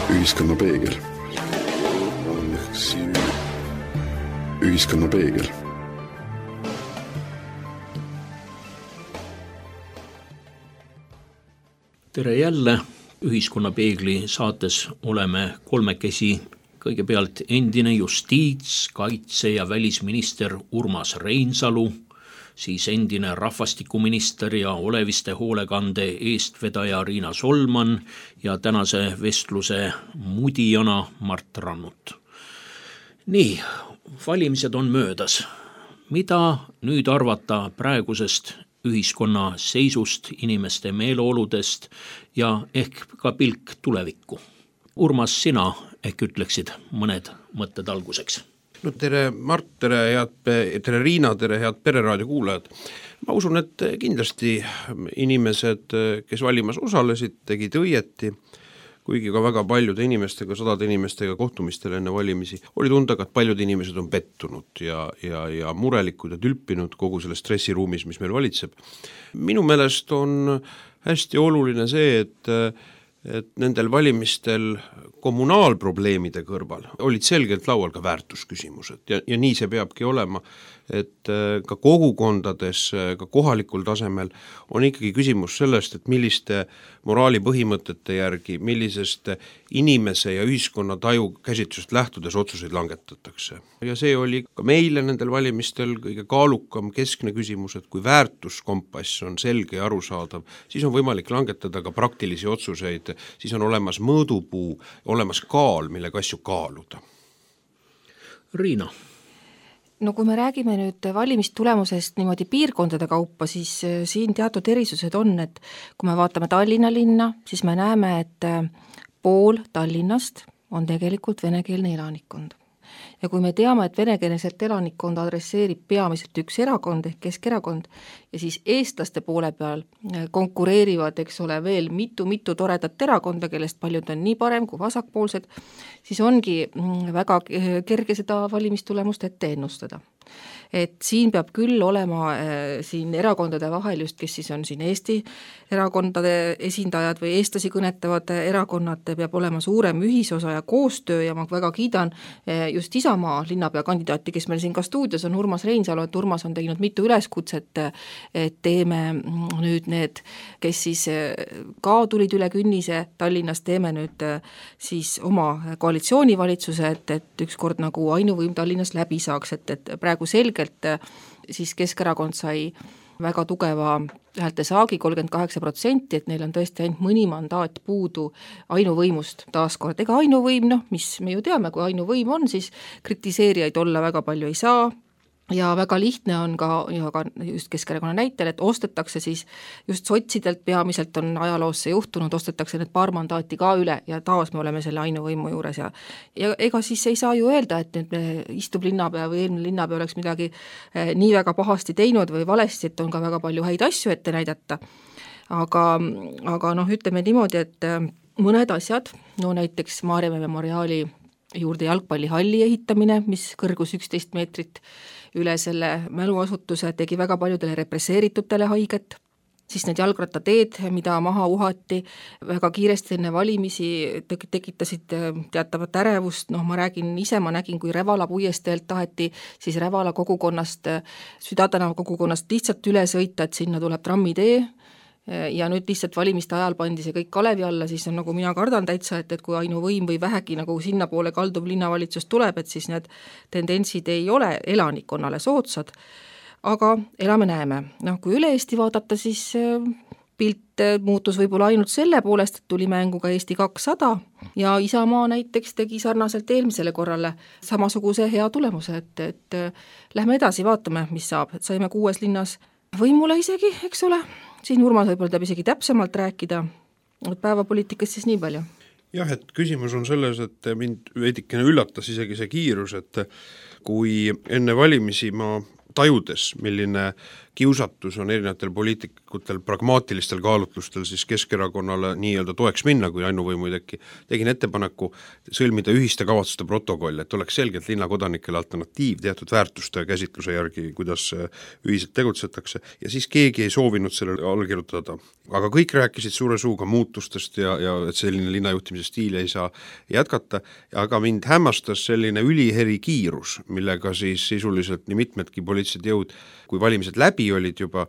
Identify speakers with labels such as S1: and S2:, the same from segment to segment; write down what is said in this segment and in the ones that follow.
S1: Ühiskonna peegel. Ühiskonna peegel.
S2: Tere jälle! Ühiskonna peegli saates oleme kolmekesi. Kõigepealt endine justiits-, kaitse- ja välisminister Urmas Reinsalu, siis endine rahvastikuminister ja oleviste hoolekande eestvedaja Riina Solman ja tänase vestluse mudijana Mart Rannut. Nii, valimised on möödas. Mida nüüd arvata praegusest ühiskonna seisust, inimeste meeleoludest ja ehk ka pilk tulevikku? Urmas, sina ehk ütleksid mõned mõtted alguseks.
S3: No tere Mart, tere Riina, tere head Pereraadio kuulajad. Ma usun, et kindlasti inimesed, kes valimas osalesid, tegid õieti, kuigi ka väga paljude inimestega, sadade inimestega kohtumistel enne valimisi oli tunda, et paljud inimesed on pettunud ja murelikud ja tülpinud kogu selles stressiruumis, mis meil valitseb. Minu meelest on hästi oluline see, et nendel valimistel kommunaalprobleemide kõrval olid selgelt laual ka väärtusküsimused ja nii see peabki olema, et ka kogukondades, ka kohalikul tasemel on ikkagi küsimus sellest, et milliste moraali põhimõtete järgi, millisest inimese ja ühiskonna taju käsitlusest lähtudes otsuseid langetatakse. Ja see oli ka meile nendel valimistel kõige kaalukam keskne küsimus, et kui väärtuskompass on selge ja arusaadav, siis on võimalik langetada ka praktilisi otsuseid, siis on olemas mõõdupuu, olemas kaal, millega asju kaaluda.
S2: Riina.
S4: No kui me räägime nüüd valimistulemusest niimoodi piirkondade kaupa, siis siin teatud erisused on, et kui me vaatame Tallinna linna, siis me näeme, et pool Tallinnast on tegelikult venekeelne elanikkond. Ja kui me teame, et venekeelset elanikkonda adresseerib peamiselt üks erakond ehk Keskerakond ja siis eestlaste poole peal konkureerivad, eks ole, veel mitu toredat erakonda, kellest paljud on nii parem kui vasakpoolsed, siis ongi väga kerge seda valimistulemust ette ennustada. Et siin peab küll olema siin erakondade vahel just, kes siis on siin Eesti erakondade esindajad või eestlasi kõnetavad erakonnad, peab olema suurem ühisosa ja koostöö ja ma väga kiidan just Isamaa linnapea kandidaati, kes meil siin ka stuudios on Urmas Reinsalu, et Urmas on teinud mitu üleskutset, et teeme nüüd need, kes siis ka tulid üle künnise Tallinnas, teeme nüüd siis oma koalitsioonivalitsuse, et ükskord nagu ainuvõim Tallinnas läbi saaks, et praegu selgelt siis Keskerakond sai väga tugeva häälte saagi 38%, et neil on tõesti ainult mõni mandaat puudu ainuvõimust taaskord. Ega ainuvõim, mis me ju teame, kui ainuvõim on, siis kritiseerijaid olla väga palju ei saa. Ja väga lihtne on ka just Keskerakonna näitel, et ostetakse siis just sotsidelt, peamiselt on ajaloos see juhtunud, ostetakse need paar mandaati ka üle ja taas me oleme selle ainuvõimu juures ja ega siis ei saa ju öelda, et nüüd istub linnapea või eelmine linnapea oleks midagi nii väga pahasti teinud või valesti, et on ka väga palju häid asju ette näidata. Aga ütleme niimoodi, et mõned asjad, näiteks Maarjamäe memoriaali juurde jalgpallihalli ehitamine, mis kõrgus 11 meetrit üle selle mäluasutuse, tegi väga paljudele represseeritutele haiget, siis need jalgrattateed, mida maha uhati väga kiiresti enne valimisi, tekitasid teatavat ärevust, ma nägin, kui Revala puiesteelt taheti siis Revala kogukonnast, Südatänava kogukonnast lihtsalt üle sõita, et sinna tuleb trammitee, ja nüüd lihtsalt valimiste ajal pandi see kõik Kalevi alla, siis on nagu mina kardan täitsa, et kui ainuvõim või vähegi nagu sinna poole kalduv linnavalitsus tuleb, et siis need tendentsid ei ole elanikkonnale soodsad, aga elame-näeme. Kui üle Eesti vaadata, siis pilt muutus võib-olla ainult selle poolest, et tuli mängu ka Eesti 200 ja Isamaa näiteks tegi sarnaselt eelmisele korrale samasuguse hea tulemuse, et lähme edasi, vaatame, mis saab, et saime 6 linnas võimule isegi, eks ole. Siin Urmas võib-olla tahab isegi täpsemalt rääkida, päevapoliitikast siis nii palju.
S3: Jah, et küsimus on selles, et mind veidikene üllatas isegi see kiirus, et kui enne valimisi ma tajudes, milline kiusatus on erinevatel poliitikutel pragmaatilistel kaalutlustel siis Keskerakonnale nii-öelda toeks minna, kui ainuvõimu ei teki. Tegin ettepaneku sõlmida ühiste kavatsuste protokoll, et oleks selgelt linnakodanikele alternatiiv teatud väärtuste käsitluse järgi, kuidas ühiselt tegutsetakse, ja siis keegi ei soovinud sellele allkirjutada. Aga kõik rääkisid suure suuga muutustest ja et selline linnajuhtimise stiil ei saa jätkata, aga mind hämmastas selline üliheri kiirus, millega siis sisuliselt nii mitmedki poliitilised jõud, kui valimised läbi olid juba,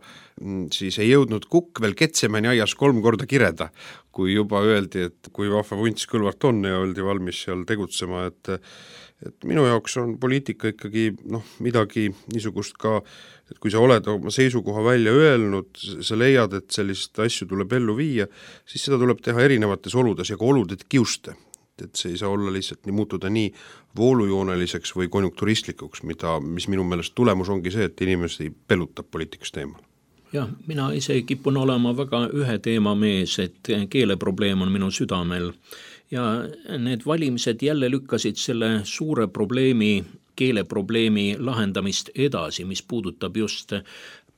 S3: siis ei jõudnud Kukk veel Ketsemani aias 3 korda kireda, kui juba öeldi, et kui vahva vunts Kõlvart on ja oldi valmis seal tegutsema, et minu jaoks on poliitika ikkagi midagi niisugust ka, et kui sa oled oma seisukoha välja öelnud, sa leiad, et sellist asju tuleb ellu viia, siis seda tuleb teha erinevates oludes ja ka olude kiuste. Et see ei saa olla lihtsalt muutuda nii voolujooneliseks või konjunkturistlikuks, mis minu meelest tulemus ongi see, et inimesi pelutab poliitikast eemal.
S2: Jah, mina ise kipun olema väga ühe teema mees, et keeleprobleem on minu südamel ja need valimised jälle lükkasid selle suure probleemi, keeleprobleemi lahendamist edasi, mis puudutab just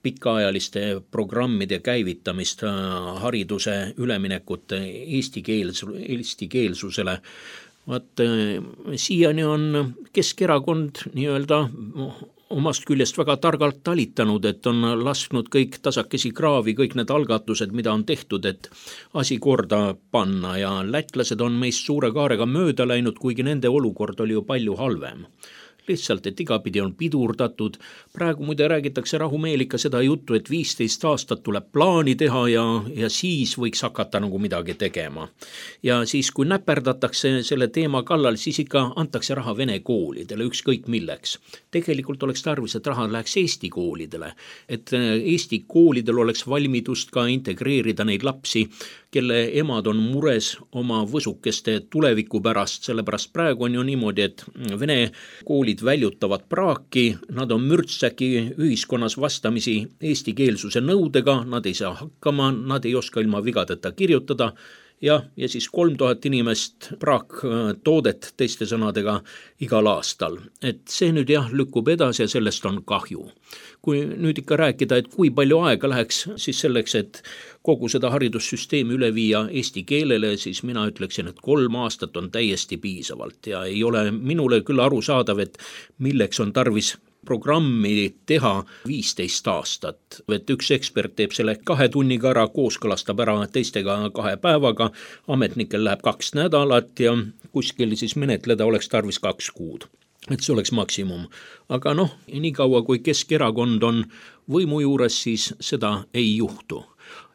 S2: pikaajaliste programmide käivitamist, hariduse üleminekut eestikeelsusele. Siiani on Keskerakond nii-öelda omast küljest väga targalt talitanud, et on lasknud kõik tasakesi kraavi, kõik need algatused, mida on tehtud, et asi korda panna ja lätlased on meist suure kaarega mööda läinud, kuigi nende olukord oli ju palju halvem. Lihtsalt, et igapidi on pidurdatud. Praegu muide räägitakse rahumeelika seda juttu, et 15 aastat tuleb plaani teha ja siis võiks hakata nagu midagi tegema. Ja siis, kui näperdatakse selle teema kallal, siis ikka antakse raha vene koolidele, ükskõik milleks. Tegelikult oleks tarvis, et raha läheks Eesti koolidele, et Eesti koolidel oleks valmidust ka integreerida neid lapsi, kelle emad on mures oma võsukeste tuleviku pärast, sellepärast praegu on ju niimoodi, et vene koolid väljutavad praaki, nad on mürtsäki ühiskonnas vastamisi eestikeelsuse nõudega, nad ei saa hakkama, nad ei oska ilma vigadeta kirjutada ja siis 3000 inimest praaktoodet teiste sõnadega igal aastal. Et see nüüd lükkub edasi ja sellest on kahju. Kui nüüd ikka rääkida, et kui palju aega läheks siis selleks, et kogu seda haridussüsteemi üle viia eesti keelele, siis mina ütleksin, et 3 aastat on täiesti piisavalt ja ei ole minule küll arusaadav, et milleks on tarvis programmi teha 15 aastat. Et üks ekspert teeb selle 2 tunniga ära, kooskõlastab ära teistega 2 päevaga, ametnikel läheb 2 nädalat ja kuskil siis menetleda oleks tarvis 2 kuud. Et see oleks maksimum. Aga nii kaua kui Keskerakond on võimu juures, siis seda ei juhtu.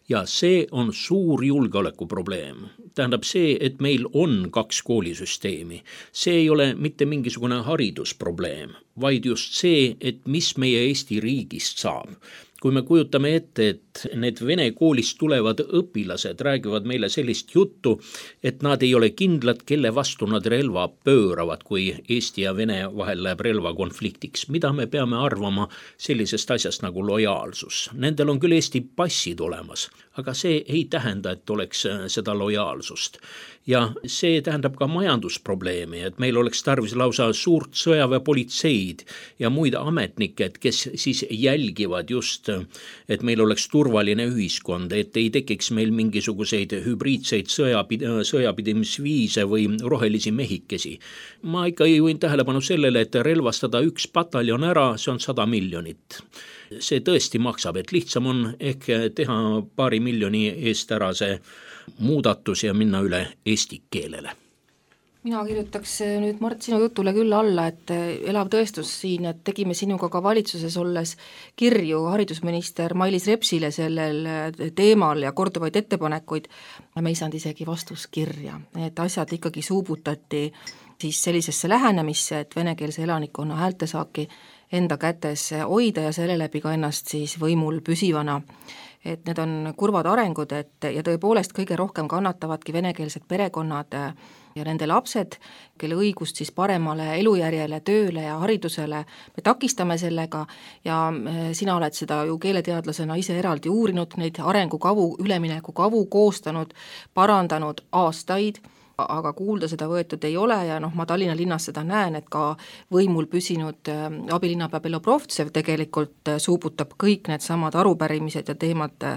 S2: Ja see on suur julgeolekuprobleem. Tähendab see, et meil on 2 koolisüsteemi. See ei ole mitte mingisugune haridusprobleem, vaid just see, et mis meie Eesti riigist saab. Kui me kujutame ette, et need vene koolist tulevad õpilased räägivad meile sellist juttu, et nad ei ole kindlad, kelle vastu nad relva pööravad, kui Eesti ja Vene vahel läheb relvakonfliktiks. Mida me peame arvama sellisest asjast nagu lojaalsus? Nendel on küll Eesti passid olemas, aga see ei tähenda, et oleks seda lojaalsust. Ja see tähendab ka majandusprobleemi, et meil oleks tarvis lausa suurt sõjaväepolitseid ja muid ametnikke, kes siis jälgivad just, et meil oleks turvaline ühiskond, et ei tekiks meil mingisuguseid hübriidseid sõjapidemisviise või rohelisi mehikesi. Ma ikka juhin tähelepanu sellele, et relvastada 1 pataljon ära, see on 100 miljonit. See tõesti maksab, et lihtsam on ehk teha 2 miljoni eest ära see muudatus ja minna üle eesti keelele.
S4: Mina kirjutaks nüüd, Mart, sinu jutule küll alla, et elav tõestus siin, et tegime sinuga ka valitsuses olles kirju haridusminister Mailis Repsile sellel teemal ja korduvaid ettepanekuid. Me ei saanud isegi vastuskirja, et asjad ikkagi suubutati siis sellisesse lähenemisse, et venekeelse elanikkonna häältesaaki enda kätes hoida ja selle läbi ka ennast siis võimul püsivana. Et need on kurvad arengud, ja tõepoolest kõige rohkem kannatavadki venekeelsed perekonnad ja nende lapsed, kelle õigust siis paremale elujärjele, tööle ja haridusele me takistame sellega ja sina oled seda ju keeleteadlasena ise eraldi uurinud, neid arengukavu, üleminekukavu koostanud, parandanud aastaid aga kuulda seda võetud ei ole ja ma Tallinna linnas seda näen, et ka võimul püsinud abilinnapea Belobrovtsev tegelikult suubutab kõik need samad arupärimised ja teemad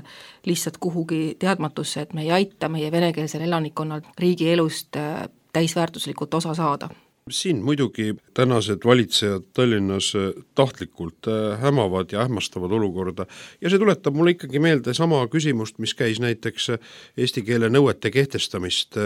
S4: lihtsalt kuhugi teadmatusse, et me ei aita meie venekeelsel elanikkonnal riigi elust täisväärtuslikult osa saada.
S3: Siin muidugi tänased valitsejad Tallinnas tahtlikult hämavad ja ähmastavad olukorda ja see tuletab mulle ikkagi meelde sama küsimust, mis käis näiteks eesti keele nõuete kehtestamist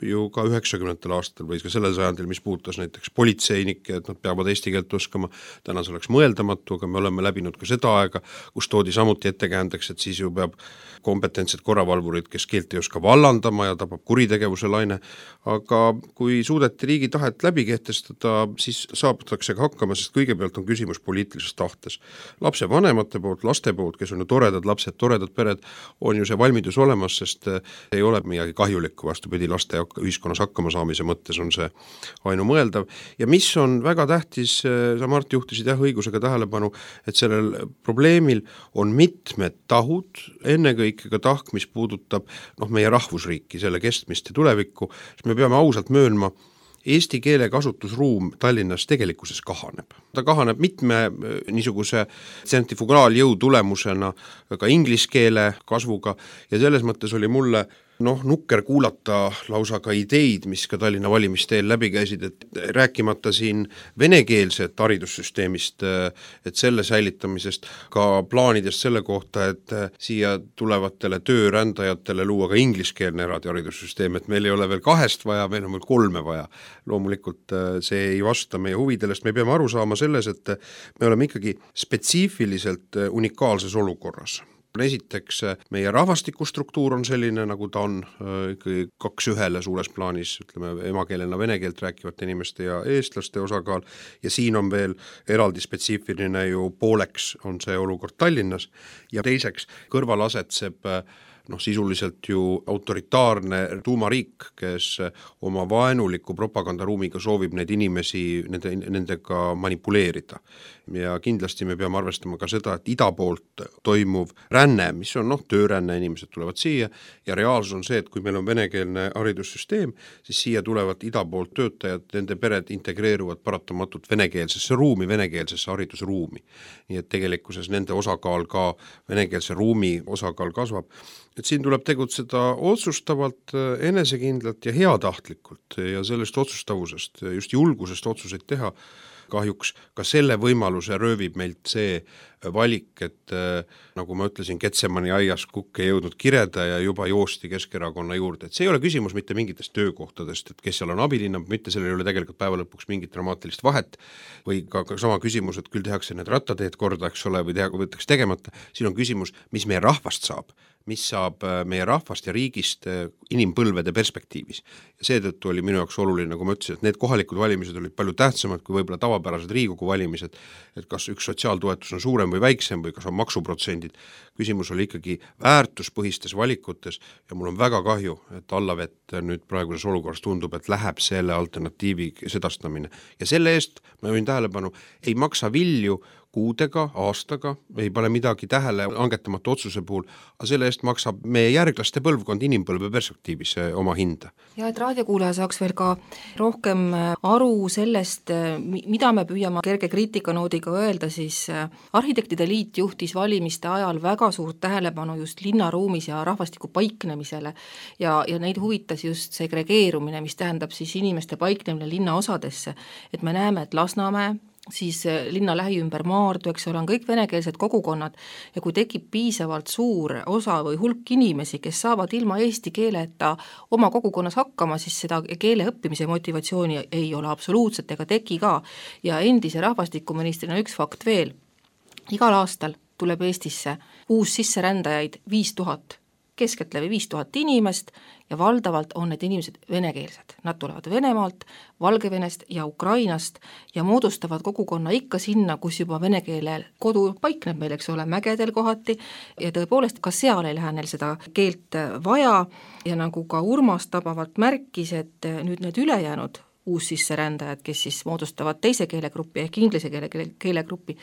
S3: ju ka 90. aastal või ka sellel sajandil, mis puudutas näiteks politseinikke, et nad peavad eesti keelt oskama. Täna see oleks mõeldamatu, aga me oleme läbinud ka seda aega, kus toodi samuti ettekäändeks, et siis ju peab kompetentsed korravalvurid, kes keelt ei oska vallandama ja tabab kuritegevuse laine, aga kui suudeti riigi tahet läbi kehtestada, siis saabutatakse ka hakkama, sest kõigepealt on küsimus poliitilises tahtes. Lapse vanemate poolt, laste poolt, kes on ju toredad lapsed, toredad pered, on ju see valmidus olemas, sest ei ole midagi kahjulikku, vastupidi, laste ühiskonnas hakkama saamise mõttes on see ainumõeldav. Ja mis on väga tähtis, sa Mart juhtisid õigusega tähelepanu, et sellel probleemil on mitmed tahud, ennekõike ka tahk, mis puudutab meie rahvusriiki, selle kestmist ja tulevikku, siis me peame ausalt möönma, eesti keele kasutusruum Tallinnas tegelikkuses kahaneb. Ta kahaneb mitme niisuguse tsentrifugaaljõu tulemusena ka inglise keele kasvuga ja selles mõttes oli mulle nukker kuulata lausa ka ideid, mis ka Tallinna valimisteel läbi käisid, et rääkimata siin venekeelset haridussüsteemist, et selle säilitamisest, ka plaanidest selle kohta, et siia tulevatele töörändajatele luua ka ingliskeelne eraldi haridussüsteem, et meil ei ole veel 2 vaja, meil on veel 3 vaja. Loomulikult see ei vasta meie huvidele, sest me peame aru saama selles, et me oleme ikkagi spetsiifiliselt unikaalses olukorras. Esiteks, meie rahvastikustruktuur on selline, nagu ta on, ikkagi 2-1 suures plaanis, ütleme emakeelena vene keelt rääkivate inimeste ja eestlaste osakaal ja siin on veel eraldi spetsiifiline ju pooleks on see olukord Tallinnas ja teiseks kõrval asetseb sisuliselt ju autoritaarne tuumariik, kes oma vaenuliku propagandaruumiga soovib neid inimesi nendega manipuleerida. Ja kindlasti me peame arvestama ka seda, et ida poolt toimuv ränne, mis on tööränne, inimesed tulevad siia ja reaalsus on see, et kui meil on venekeelne haridussüsteem, siis siia tulevad ida poolt töötajad, nende pered integreeruvad paratamatult venekeelsesse ruumi, venekeelsesse haridusruumi. Nii et tegelikkuses nende osakaal ka venekeelse ruumi osakaal kasvab. Et siin tuleb tegutseda otsustavalt, enesekindlalt ja heatahtlikult ja sellest otsustavusest, just julgusest otsuseid teha. Kahjuks ka selle võimaluse röövib meilt see valik, et nagu ma ütlesin, Getsemani aias kukk ei jõudnud kireda ja juba joosti Keskerakonna juurde. Et see ei ole küsimus mitte mingitest töökohtadest, et kes seal on abilinna, mitte sellel ei ole tegelikult päeva lõpuks mingit dramaatilist vahet või ka sama küsimus, et küll tehakse need rattateed korda, eks ole, või võetakse tegemata. Siin on küsimus, mis meie rahvast saab, mis saab meie rahvast ja riigist inimpõlvede perspektiivis. Ja seetõttu oli minu jaoks oluline, nagu ma ütlesin, et need kohalikud valimised olid palju tähtsamad kui võib-olla tavapärased Riigikogu valimised, et kas üks sotsiaaltoetus on suurem või väiksem või kas on maksuprotsendid. Küsimus oli ikkagi väärtuspõhistes valikutes ja mul on väga kahju, et Allavett nüüd praeguses olukorras tundub, et läheb selle alternatiivi sedastamine. Ja selle eest, ma võin tähelepanu, ei maksa vilju kuudega, aastaga, ei pane midagi tähele langetamata otsuse puhul, aga selle eest maksab meie järglaste põlvkond inimpõlve perspektiivis oma hinda.
S4: Ja et raadiokuulaja saaks veel ka rohkem aru sellest, mida me püüame kerge kriitikanoodiga öelda, siis Arhitektide Liit juhtis valimiste ajal väga suurt tähelepanu just linnaruumis ja rahvastiku paiknemisele ja neid huvitas just segregeerumine, mis tähendab siis inimeste paiknemine linnaosadesse, et me näeme, et Lasnamäe, siis linna lähi ümber Maardu, eks ole, on kõik venekeelsed kogukonnad ja kui tekib piisavalt suur osa või hulk inimesi, kes saavad ilma eesti keeleta oma kogukonnas hakkama, siis seda keele õppimise motivatsiooni ei ole absoluutselt ega teki ka. Ja endise rahvastikuministrina üks fakt veel. Igal aastal tuleb Eestisse uus sisserändajaid 5000, keskeltläbi 5000 inimest ja valdavalt on need inimesed venekeelsed. Nad tulevad Venemaalt, Valgevenest ja Ukrainast ja moodustavad kogukonna ikka sinna, kus juba vene keele kodu paikneb meil, eks ole, mägedel kohati ja tõepoolest ka seal ei lähe neil seda keelt vaja ja nagu ka Urmas tabavalt märkis, et nüüd need ülejäänud uussisserändajad, kes siis moodustavad teise keelegrupi ehk inglise keelegrupi,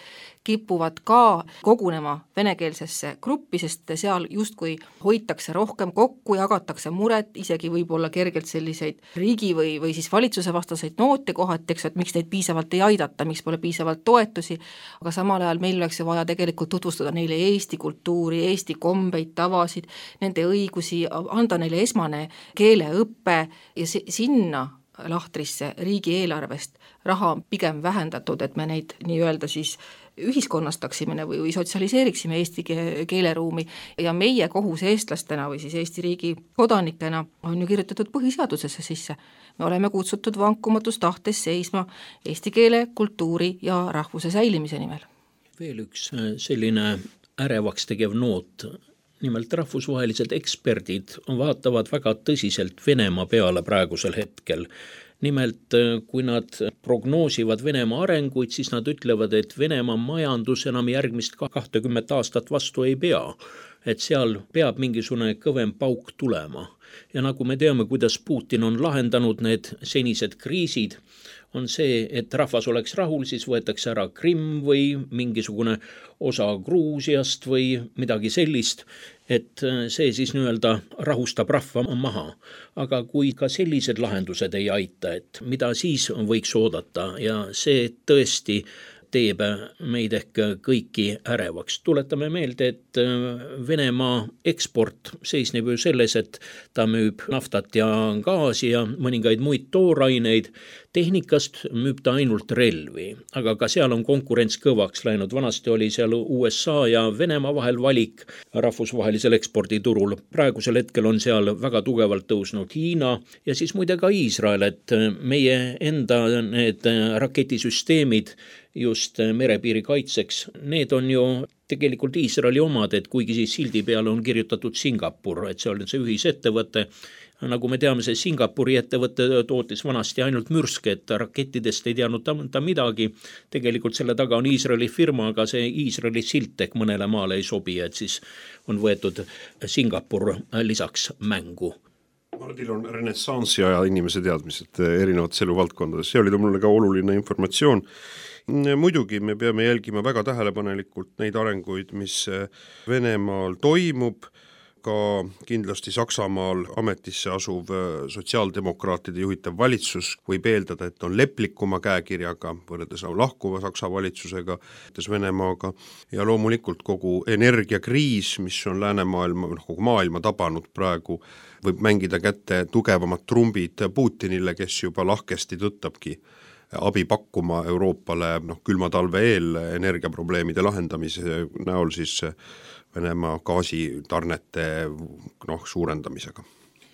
S4: kipuvad ka kogunema venekeelsesse gruppi, sest seal justkui hoitakse rohkem kokku, jagatakse muret, isegi võib-olla kergelt selliseid riigi või siis valitsuse vastaseid noote kohati, eks, et miks neid piisavalt ei aidata, miks pole piisavalt toetusi, aga samal ajal meil oleks ju vaja tegelikult tutvustada neile Eesti kultuuri, Eesti kombeid, tavasid, nende õigusi, anda neile esmane keeleõppe ja sinna lahtrisse riigieelarvest raha on pigem vähendatud, et me neid nii-öelda siis ühiskonnastaksime või sotsialiseeriksime Eesti keeleruumi ja meie kohus eestlastena või siis Eesti riigi kodanikena on ju kirjutatud põhiseadusesse sisse. Me oleme kutsutud vankumatus tahtes seisma eesti keele, kultuuri ja rahvuse säilimise nimel.
S2: Veel üks selline ärevaks tegev noot. Nimelt rahvusvahelised eksperdid vaatavad väga tõsiselt Venemaa peale praegusel hetkel. Nimelt, kui nad prognoosivad Venemaa arenguid, siis nad ütlevad, et Venemaa majandus enam järgmist 20 aastat vastu ei pea. Et seal peab mingisugune kõvem pauk tulema. Ja nagu me teame, kuidas Putin on lahendanud need senised kriisid, on see, et rahvas oleks rahul, siis võetakse ära Krimm või mingisugune osa Gruusiast või midagi sellist, et see siis nii-öelda rahustab rahva maha. Aga kui ka sellised lahendused ei aita, et mida siis võiks oodata ja see tõesti teeb meid ehk kõiki ärevaks. Tuletame meelde, et Venemaa eksport seisneb ju selles, et ta müüb naftat ja gaasi ja mõningaid muid tooraineid. Tehnikast müüb ta ainult relvi, aga ka seal on konkurents kõvaks läinud. Vanasti oli seal USA ja Venemaa vahel valik rahvusvahelisel eksporditurul. Praegusel hetkel on seal väga tugevalt tõusnud Hiina ja siis muide ka Iisrael, et meie enda need raketisüsteemid just merepiiri kaitseks, need on ju tegelikult Iisraeli omad, et kuigi siis sildi peale on kirjutatud Singapur, et see on see ühisettevõte. Nagu me teame, see Singapuri ettevõte tootis vanasti ainult mürske, et rakettidest ei teadnud ta midagi. Tegelikult selle taga on Iisraeli firma, aga see Iisraeli silt ehk mõnele maale ei sobi, et siis on võetud Singapur lisaks mängu.
S3: Mardil on renessansi aja inimese teadmised erinevates eluvaldkondades. See oli mulle ka oluline informatsioon. Muidugi me peame jälgima väga tähelepanelikult neid arenguid, mis Venemaal toimub, ka kindlasti Saksamaal ametisse asuv sotsiaaldemokraatide juhitav valitsus võib eeldada, et on leplikuma käekirjaga võrreldes lahkuva Saksa valitsusega, Venemaaga ja loomulikult kogu energiakriis, mis on läänemaailma, kogu maailma tabanud praegu, võib mängida kätte tugevamad trumbid Putinile, kes juba lahkesti tõttabki abi pakkuma Euroopale külma talve eel energiaprobleemide lahendamise näol siis Venemaa gaasitarnete suurendamisega.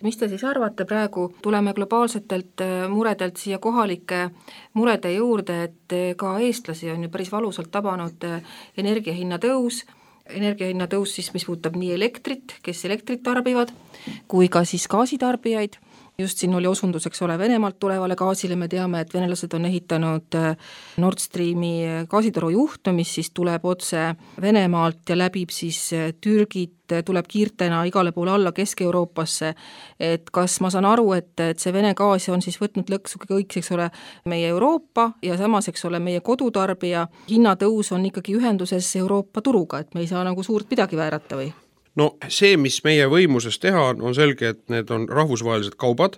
S4: Mis te siis arvate praegu? Tuleme globaalsetelt muredelt siia kohalike murede juurde, et ka eestlasi on ju päris valusalt tabanud energiahinna tõus, siis mis puudutab nii elektrit, kes elektrit tarbivad, kui ka siis gaasitarbijaid. Just siin oli osunduseks ole Venemaalt tulevale gaasile, me teame, et venelased on ehitanud Nord Streami gaasitoru juhtu, mis siis tuleb otse Venemaalt ja läbib siis Türgit, tuleb kiirtena igale poole alla Kesk-Euroopasse, et kas ma saan aru, et see Vene gaas on siis võtnud lõksu kõik, eks ole, meie Euroopa ja samas, eks ole, meie kodutarbija hinnatõus on ikkagi ühenduses Euroopa turuga, et me ei saa nagu suurt midagi väärata või?
S3: No see, mis meie võimuses teha, on selge, et need on rahvusvahelised kaubad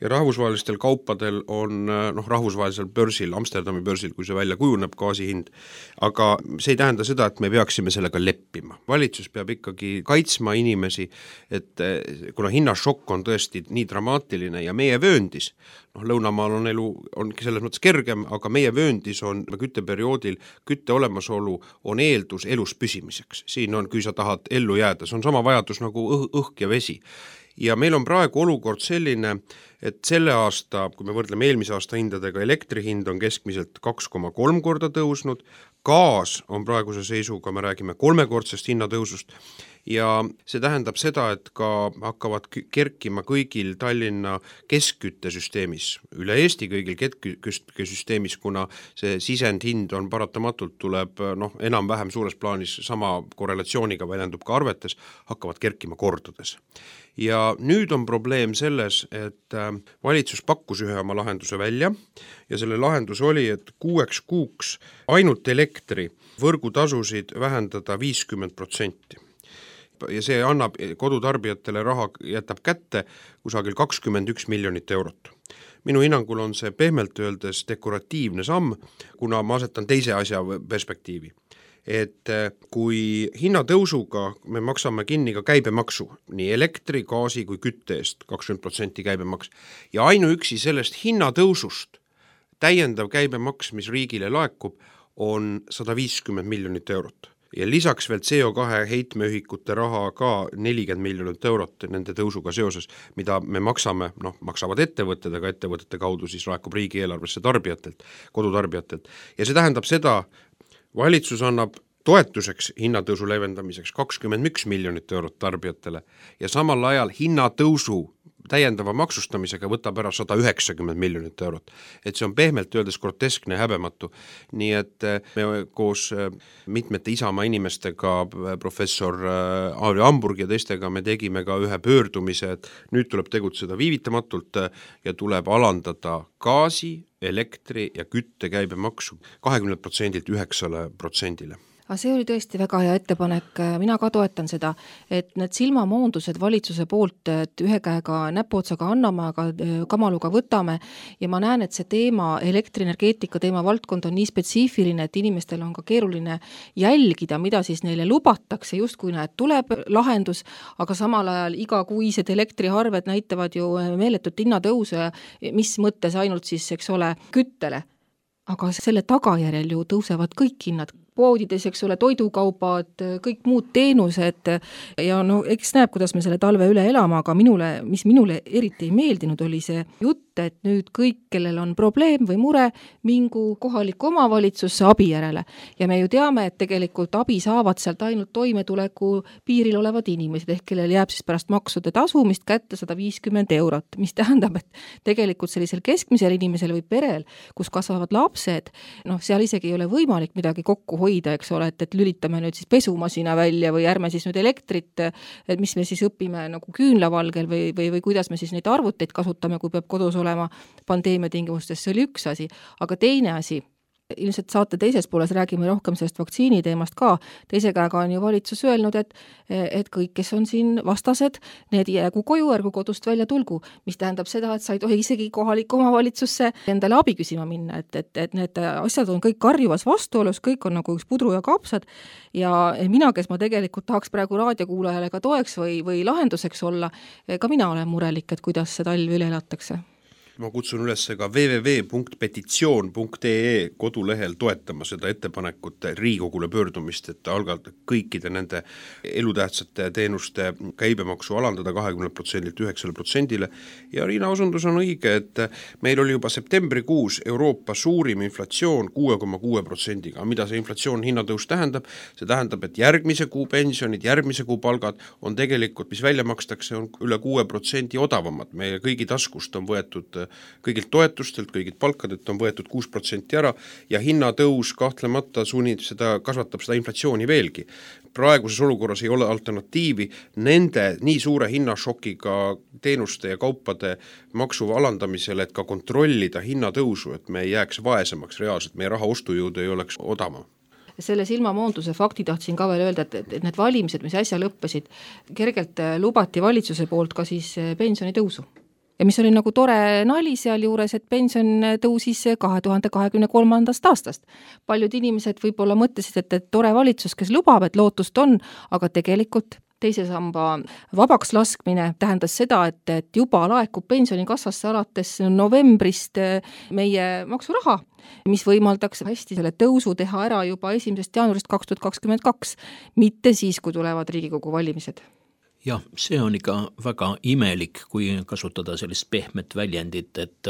S3: ja rahvusvahelistel kaupadel on rahvusvahelisel börsil, Amsterdami börsil, kui see välja kujuneb gaasihind, aga see ei tähenda seda, et me peaksime sellega leppima. Valitsus peab ikkagi kaitsma inimesi, et kuna hinnašokk on tõesti nii dramaatiline ja meie vööndis, Lõunamaal on elu ongi selles mõttes kergem, aga meie vööndis on kütteperioodil kütte olemasolu on eeldus elus püsimiseks. Siin on, kui sa tahad ellu jääda, see on sama vajadus nagu õhk ja vesi. Ja meil on praegu olukord selline, et selle aasta, kui me võrdleme eelmise aasta hindadega, elektrihind on keskmiselt 2,3 korda tõusnud, gaas on praeguse seisuga, me räägime 3-kordsest hinnatõusust ja see tähendab seda, et ka hakkavad kerkima kõigil Tallinna keskküttesüsteemis, üle Eesti kõigil keskküttesüsteemis, kuna see sisendhind on paratamatult tuleb enam-vähem suures plaanis sama korrelatsiooniga väljendub ka arvetes, hakkavad kerkima kordades. Ja nüüd on probleem selles, et valitsus pakkus ühe oma lahenduse välja ja selle lahendus oli, et 6 kuuks ainult elektri võrgutasusid vähendada 50%. Ja see annab kodutarbijatele raha, jätab kätte kusagil 21 miljonit eurot. Minu hinnangul on see pehmelt öeldes dekoratiivne samm, kuna ma asetan teise asja perspektiivi. Et kui hinnatõusuga me maksame kinni ka käibemaksu, nii elektri, gaasi kui kütte eest 20% käibemaks, ja ainuüksi sellest hinnatõusust täiendav käibemaks, mis riigile laekub, on 150 miljonit eurot. Ja lisaks veel CO2 heitmeühikute raha ka 40 miljonit eurot nende tõusuga seoses, mida me maksame, maksavad ettevõtted, aga ettevõtete kaudu siis laekub riigieelarvesse tarbijatelt, kodutarbijatelt. Ja see tähendab seda, valitsus annab toetuseks hinnatõusu leevendamiseks 21 miljonit eurot tarbijatele ja samal ajal hinnatõusu täiendava maksustamisega võtab ära 190 miljonit eurot. Et see on pehmelt öeldes groteskne ja häbematu. Nii et me koos mitmete Isamaa inimestega, professor Aari Hamburg ja teistega, me tegime ka ühe pöördumise, et nüüd tuleb tegutseda viivitamatult ja tuleb alandada gaasi, elektri ja kütte käibemaksu 20%-lt 9%-le.
S4: Aga see oli tõesti väga hea ettepanek, mina ka toetan seda, et need silmamoondused valitsuse poolt, et ühe käega näpuotsaga anname, aga kamaluga võtame ja ma näen, et see teema, elektrienergeetika teema valdkond on nii spetsiifiline, et inimestel on ka keeruline jälgida, mida siis neile lubatakse, just kui näed, tuleb lahendus, aga samal ajal igakuised elektriarved näitavad ju meeletut hinnatõuse, mis mõttes ainult siis, eks ole, küttele. Aga selle tagajärjel ju tõusevad kõik hinnad, poodides, eks ole, toidukaubad, kõik muud teenused ja eks näeb, kuidas me selle talve üle elame, aga mis minule eriti ei meeldinud, oli see jutt, et nüüd kõik, kellel on probleem või mure, mingu kohaliku omavalitsusse abi järele. Ja me ju teame, et tegelikult abi saavad sealt ainult toimetuleku piiril olevad inimesed, ehk kellel jääb siis pärast maksude tasumist kätte 150 eurot, mis tähendab, et tegelikult sellisel keskmisel inimesel või perel, kus kasvavad lapsed, seal isegi ei ole võimalik midagi kokku hoida, eks ole, et lülitame nüüd siis pesumasina välja või ärme siis nüüd elektrit, et mis me siis õpime nagu küünlavalgel või kuidas me siis neid arvuteid kasutame, kui peab kodus olema pandeemia tingimustes, see oli üks asi. Aga teine asi, ilmselt saate teises pooles räägime rohkem sellest vaktsiini teemast ka, teise käega on ju valitsus öelnud, et kõik, kes on siin vastased, need jäägu koju, ärgu kodust välja tulgu, mis tähendab seda, et sa ei tohi isegi kohaliku omavalitsusse endale abi küsima minna, et need asjad on kõik karjuvas vastuolus, kõik on nagu üks pudru ja kapsad ja mina, kes ma tegelikult tahaks praegu raadiokuulajale ka toeks või lahenduseks olla, ka mina olen murelik, et kuidas see talv üle elatakse.
S3: Ma kutsun üles ka www.petitsioon.ee kodulehel toetama seda ettepanekut Riigikogule pöördumist, et algata kõikide nende elutähtsate teenuste käibemaksu alandada 20%-lt 9%-le. Ja Riina osundus on õige, et meil oli juba septembrikuus Euroopa suurim inflatsioon 6,6%-ga. Mida see inflatsioon hinnatõus tähendab? See tähendab, et järgmise kuu pensionid, järgmise kuu palgad on tegelikult, mis välja makstakse, on üle 6% odavamad. Meie kõigi taskust on võetud kõigilt toetustelt, kõigilt palkadelt on võetud 6% ära ja hinnatõus kahtlemata kasvatab seda inflatsiooni veelgi. Praeguses olukorras ei ole alternatiivi nende nii suure hinnašokiga teenuste ja kaupade maksu alandamisele, et ka kontrollida hinnatõusu, et me ei jääks vaesemaks reaalselt, meie raha ostujõud ei oleks odavam.
S4: Selle silmamoonduse fakti tahtsin ka veel öelda, et need valimised, mis äsja lõppesid, kergelt lubati valitsuse poolt ka siis pensionitõusu. Ja mis oli nagu tore nali seal juures, et pension tõusis 2023. aastast. Paljud inimesed võib-olla mõtlesid, et tore valitsus, kes lubab, et lootust on, aga tegelikult teise samba vabaks laskmine tähendas seda, et juba laekub pensionikassasse alates novembrist meie maksuraha, mis võimaldaks hästi selle tõusu teha ära juba 1. jaanuarist 2022, mitte siis, kui tulevad Riigikogu valimised.
S2: Jah, see on ikka väga imelik, kui kasutada sellist pehmet väljendit, et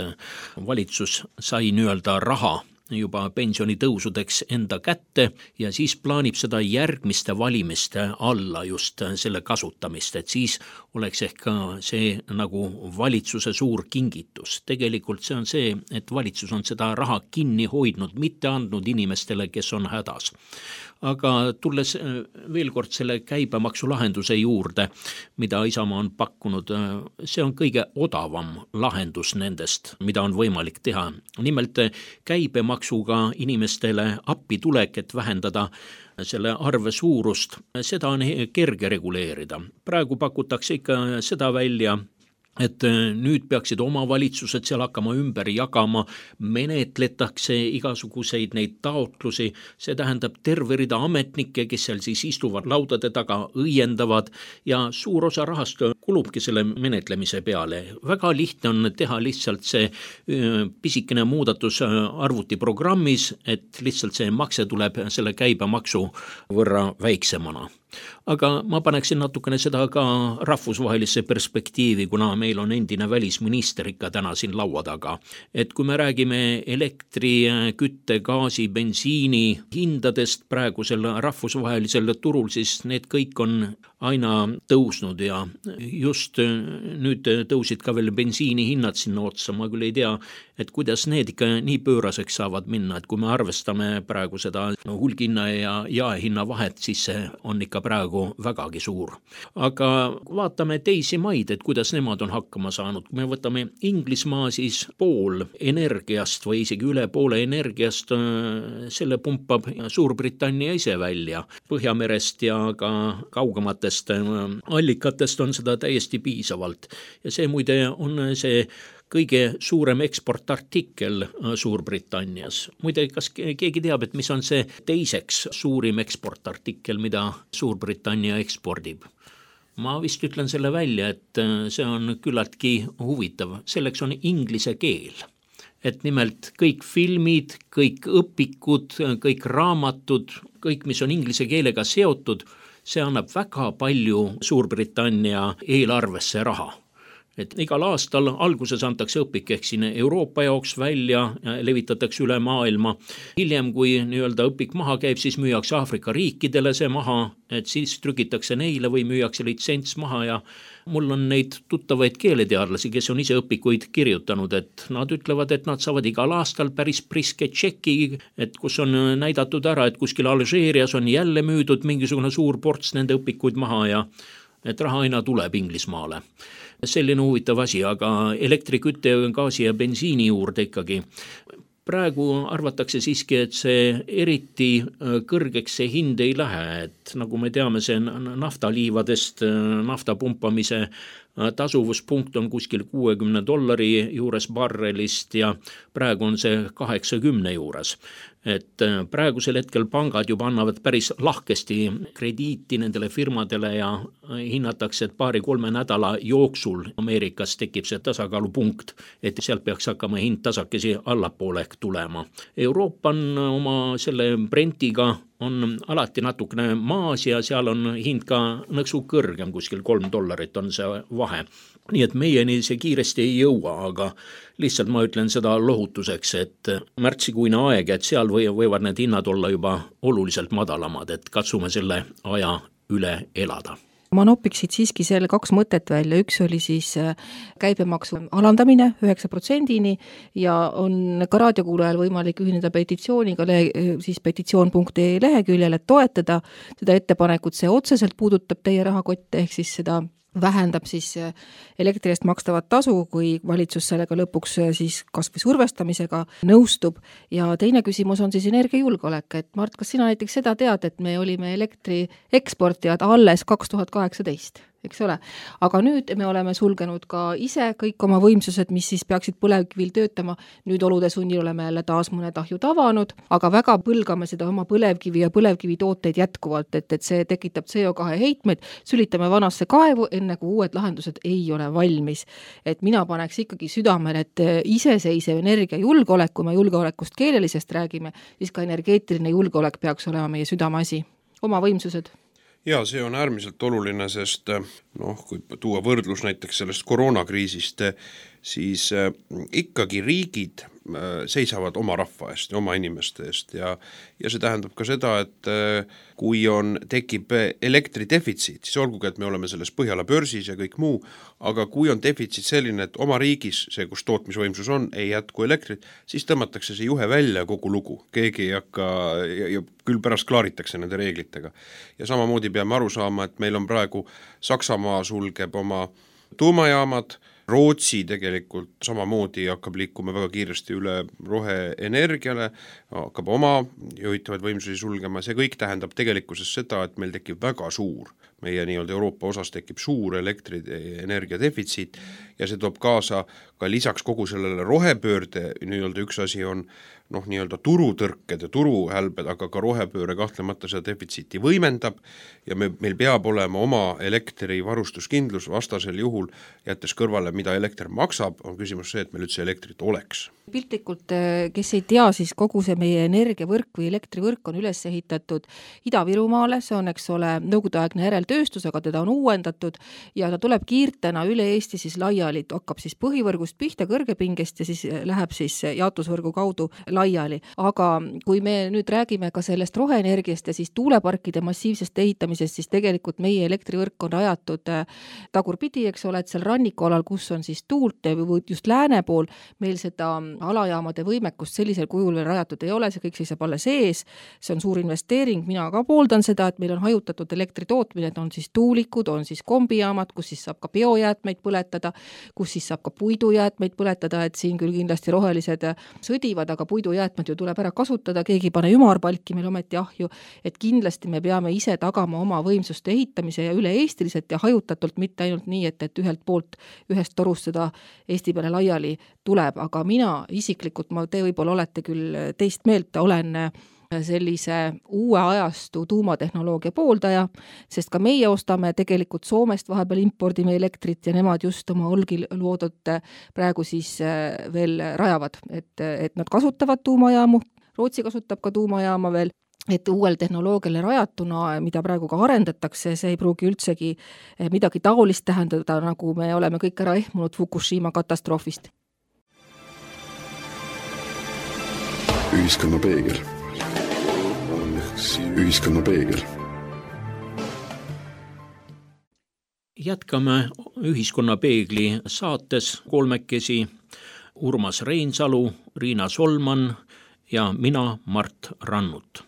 S2: valitsus sai nii-öelda raha juba pensionitõusudeks enda kätte ja siis plaanib seda järgmiste valimiste alla just selle kasutamist, et siis oleks ehk ka see nagu valitsuse suur kingitus. Tegelikult see on see, et valitsus on seda raha kinni hoidnud, mitte andnud inimestele, kes on hädas. Aga tulles veel kord selle käibemaksulahenduse juurde, mida Isamaa on pakkunud, see on kõige odavam lahendus nendest, mida on võimalik teha. Nimelt käibemaksuga inimestele appi tulek, et vähendada selle arve suurust, seda on kerge reguleerida. Praegu pakutakse ikka seda välja, et nüüd peaksid omavalitsused seal hakkama ümber jagama, menetletakse igasuguseid neid taotlusi, see tähendab terve rida ametnikke, kes seal siis istuvad laudade taga, õiendavad ja suur osa rahast kulubki selle menetlemise peale. Väga lihtne on teha lihtsalt see pisikene muudatus arvutiprogrammis, et lihtsalt see makse tuleb selle käibemaksu võrra väiksemana. Aga ma paneksin natukene seda ka rahvusvahelisse perspektiivi, kuna meil on endine välisminister ikka täna siin laua taga. Et kui me räägime elektri, kütte, gaasi, bensiini hindadest praegusel rahvusvahelisel turul, siis need kõik on aina tõusnud ja just nüüd tõusid ka veel bensiini hinnad sinna otsa. Ma küll ei tea, et kuidas need ikka nii pööraseks saavad minna, et kui me arvestame praegu seda hulghinna ja jaehinna vahet, siis see on ikka praegu vägagi suur. Aga vaatame teisi maid, et kuidas nemad on hakkama saanud. Kui me võtame Inglismaa, siis pool energiast või isegi üle poole energiast, selle pumpab Suurbritannia ise välja. Põhjamerest ja ka kaugematest allikatest on seda täiesti piisavalt. Ja see muide on see kõige suurem eksportartikkel Suurbritannias. Muide, kas keegi teab, et mis on see teiseks suurim eksportartikkel, mida Suurbritannia ekspordib? Ma vist ütlen selle välja, et see on küllaltki huvitav. Selleks on inglise keel. Et nimelt kõik filmid, kõik õpikud, kõik raamatud, kõik, mis on inglise keelega seotud, see annab väga palju Suurbritannia eelarvesse raha. Et igal aastal alguses antakse õpik ehk siin Euroopa jaoks välja, levitatakse üle maailma. Hiljem, kui nii-öelda õpik maha käib, siis müüakse Aafrika riikidele see maha, et siis trükitakse neile või müüakse litsents maha ja mul on neid tuttavaid keeleteadlasi, kes on ise õpikuid kirjutanud, et nad ütlevad, et nad saavad igal aastal päris priske tšeki, et kus on näidatud ära, et kuskil Alžeerias on jälle müüdud mingisugune suur ports nende õpikuid maha ja et raha aina tuleb Inglismaale. Selline huvitav asi, aga elektrikütte, gaasi ja bensiini juurde ikkagi. Praegu arvatakse siiski, et see eriti kõrgeks see hind ei lähe, et nagu me teame, see naftaliivadest nafta pumpamise tasuvuspunkt on kuskil $60 juures barrelist ja praegu on see 80 juures. Et praegusel hetkel pangad juba annavad päris lahkesti krediiti nendele firmadele ja hinnatakse, et 2-3 nädala jooksul Ameerikas tekib see tasakaalupunkt, et sealt peaks hakkama hind tasakesi allapoole tulema. Euroopa on oma selle Brentiga on alati natukene maas ja seal on hind ka nõksu kõrgem, kuskil $3 on see vahe. Nii et meieni see kiiresti ei jõua, aga lihtsalt ma ütlen seda lohutuseks, et märtsikuine aeg, et seal võivad need hinnad olla juba oluliselt madalamad, et katsume selle aja üle elada.
S4: Ma nopiksid siiski selle 2 mõtet välja, üks oli siis käibemaksu alandamine 9%-ni ja on ka raadiokuulajal võimalik ühineda petitsiooniga siis petitsioon.ee leheküljel, et toetada seda ettepanekut, see otseselt puudutab teie rahakotte, ehk siis seda vähendab siis elektri eest makstavat tasu, kui valitsus sellega lõpuks siis kas või survestamisega nõustub. Ja teine küsimus on siis energiajulgeolek, et Mart, kas sina näiteks seda tead, et me olime elektri eksportijad alles 2018? Eks ole, aga nüüd me oleme sulgenud ka ise kõik oma võimsused, mis siis peaksid põlevkivil töötama. Nüüd olude sunnil oleme jälle taas mõned ahjud avanud, aga väga põlgame seda oma põlevkivi ja põlevkivi tooteid jätkuvalt, et see tekitab CO2 heitmeid, sülitame vanasse kaevu, enne kui uued lahendused ei ole valmis. Et mina paneks ikkagi südamel, et iseseisev energiajulgeolek, kui me julgeolekust keelelisest räägime, siis ka energeetiline julgeolek peaks olema meie südameasi. Oma võimsused.
S3: Ja see on äärmiselt oluline, sest kui tuua võrdlus näiteks sellest koroonakriisist, siis ikkagi riigid seisavad oma rahva eest ja oma inimeste eest ja see tähendab ka seda, et kui tekib elektridefitsiit, siis olgugi, et me oleme selles Põhjala börsis ja kõik muu, aga kui on defitsiit selline, et oma riigis, see, kus tootmisvõimsus on, ei jätku elektrit, siis tõmmatakse see juhe välja kogu lugu. Keegi ei hakka, ja küll pärast klaaritakse nende reeglitega. Ja samamoodi peame aru saama, et meil on praegu Saksamaa sulgeb oma tuumajaamad, Rootsi tegelikult samamoodi hakkab liikuma väga kiiresti üle roheenergiale, hakkab oma juhitavaid võimsusi sulgema, see kõik tähendab tegelikkuses seda, et meil tekib väga suur, meie nii-öelda Euroopa osas tekib suur elektrienergia defitsiit ja see toob kaasa ka lisaks kogu sellele rohepöörde, nii-öelda üks asi on nii-öelda turutõrked ja turuhälbed, aga ka rohepööre kahtlemata seda defitsiiti võimendab ja meil peab olema oma elektrivarustuskindlus, vastasel juhul jättes kõrvale, mida elekter maksab, on küsimus see, et meil üldse elektrit oleks.
S4: Piltlikult, kes ei tea, siis kogu see meie energiavõrk või elektrivõrk on üles ehitatud Ida-Virumaale, see on, eks ole, nõukogudeaegne järeltööstus, aga teda on uuendatud ja ta tuleb kiirtena üle Eesti siis laiali, hakkab siis põhivõrgust pihta kõrgepingest ja siis läheb siis jaotusvõrgu kaudu laiali. Aga kui me nüüd räägime ka sellest roheenergiast ja siis tuuleparkide massiivsest ehitamisest, siis tegelikult meie elektrivõrk on rajatud tagurpidi, eks ole, et seal rannikualal, kus on siis tuult või just lääne pool, meil seda alajaamade võimekust sellisel kujul veel rajatud ei ole, see kõik seisab alles ees, see on suur investeering, mina ka pooldan seda, et meil on hajutatud elektritootmine, et on siis tuulikud, on siis kombijaamad, kus siis saab ka biojäätmeid põletada, kus siis saab ka puidujäätmeid põletada, et siin küll kindlasti rohelised sõdivad, aga puidujäätmed ju tuleb ära kasutada, keegi pane ümarpalki meil ometi ahju, et kindlasti me peame ise tagama oma võimsuste ehitamise ja üle-eestiliselt ja hajutatult, mitte ainult nii, et ühelt poolt, ühest torust seda Eesti peale laiali tuleb, aga mina isiklikult, te võib-olla olete küll teist meelt, olen sellise uue ajastu tuumatehnoloogia pooldaja, sest ka meie ostame tegelikult Soomest vahepeal impordime elektrit ja nemad just oma olgil loodud praegu siis veel rajavad, et nad kasutavad tuumajaamu, Rootsi kasutab ka tuumajaama veel, et uuel tehnoloogiale rajatuna, mida praegu ka arendatakse, see ei pruugi üldsegi midagi taolist tähendada, nagu me oleme kõik ära ehmunud Fukushima katastroofist.
S1: Ühiskonna peegel. Ühiskonna peegel.
S2: Jätkame Ühiskonna peegli saates kolmekesi Urmas Reinsalu, Riina Solman ja mina, Mart Rannut.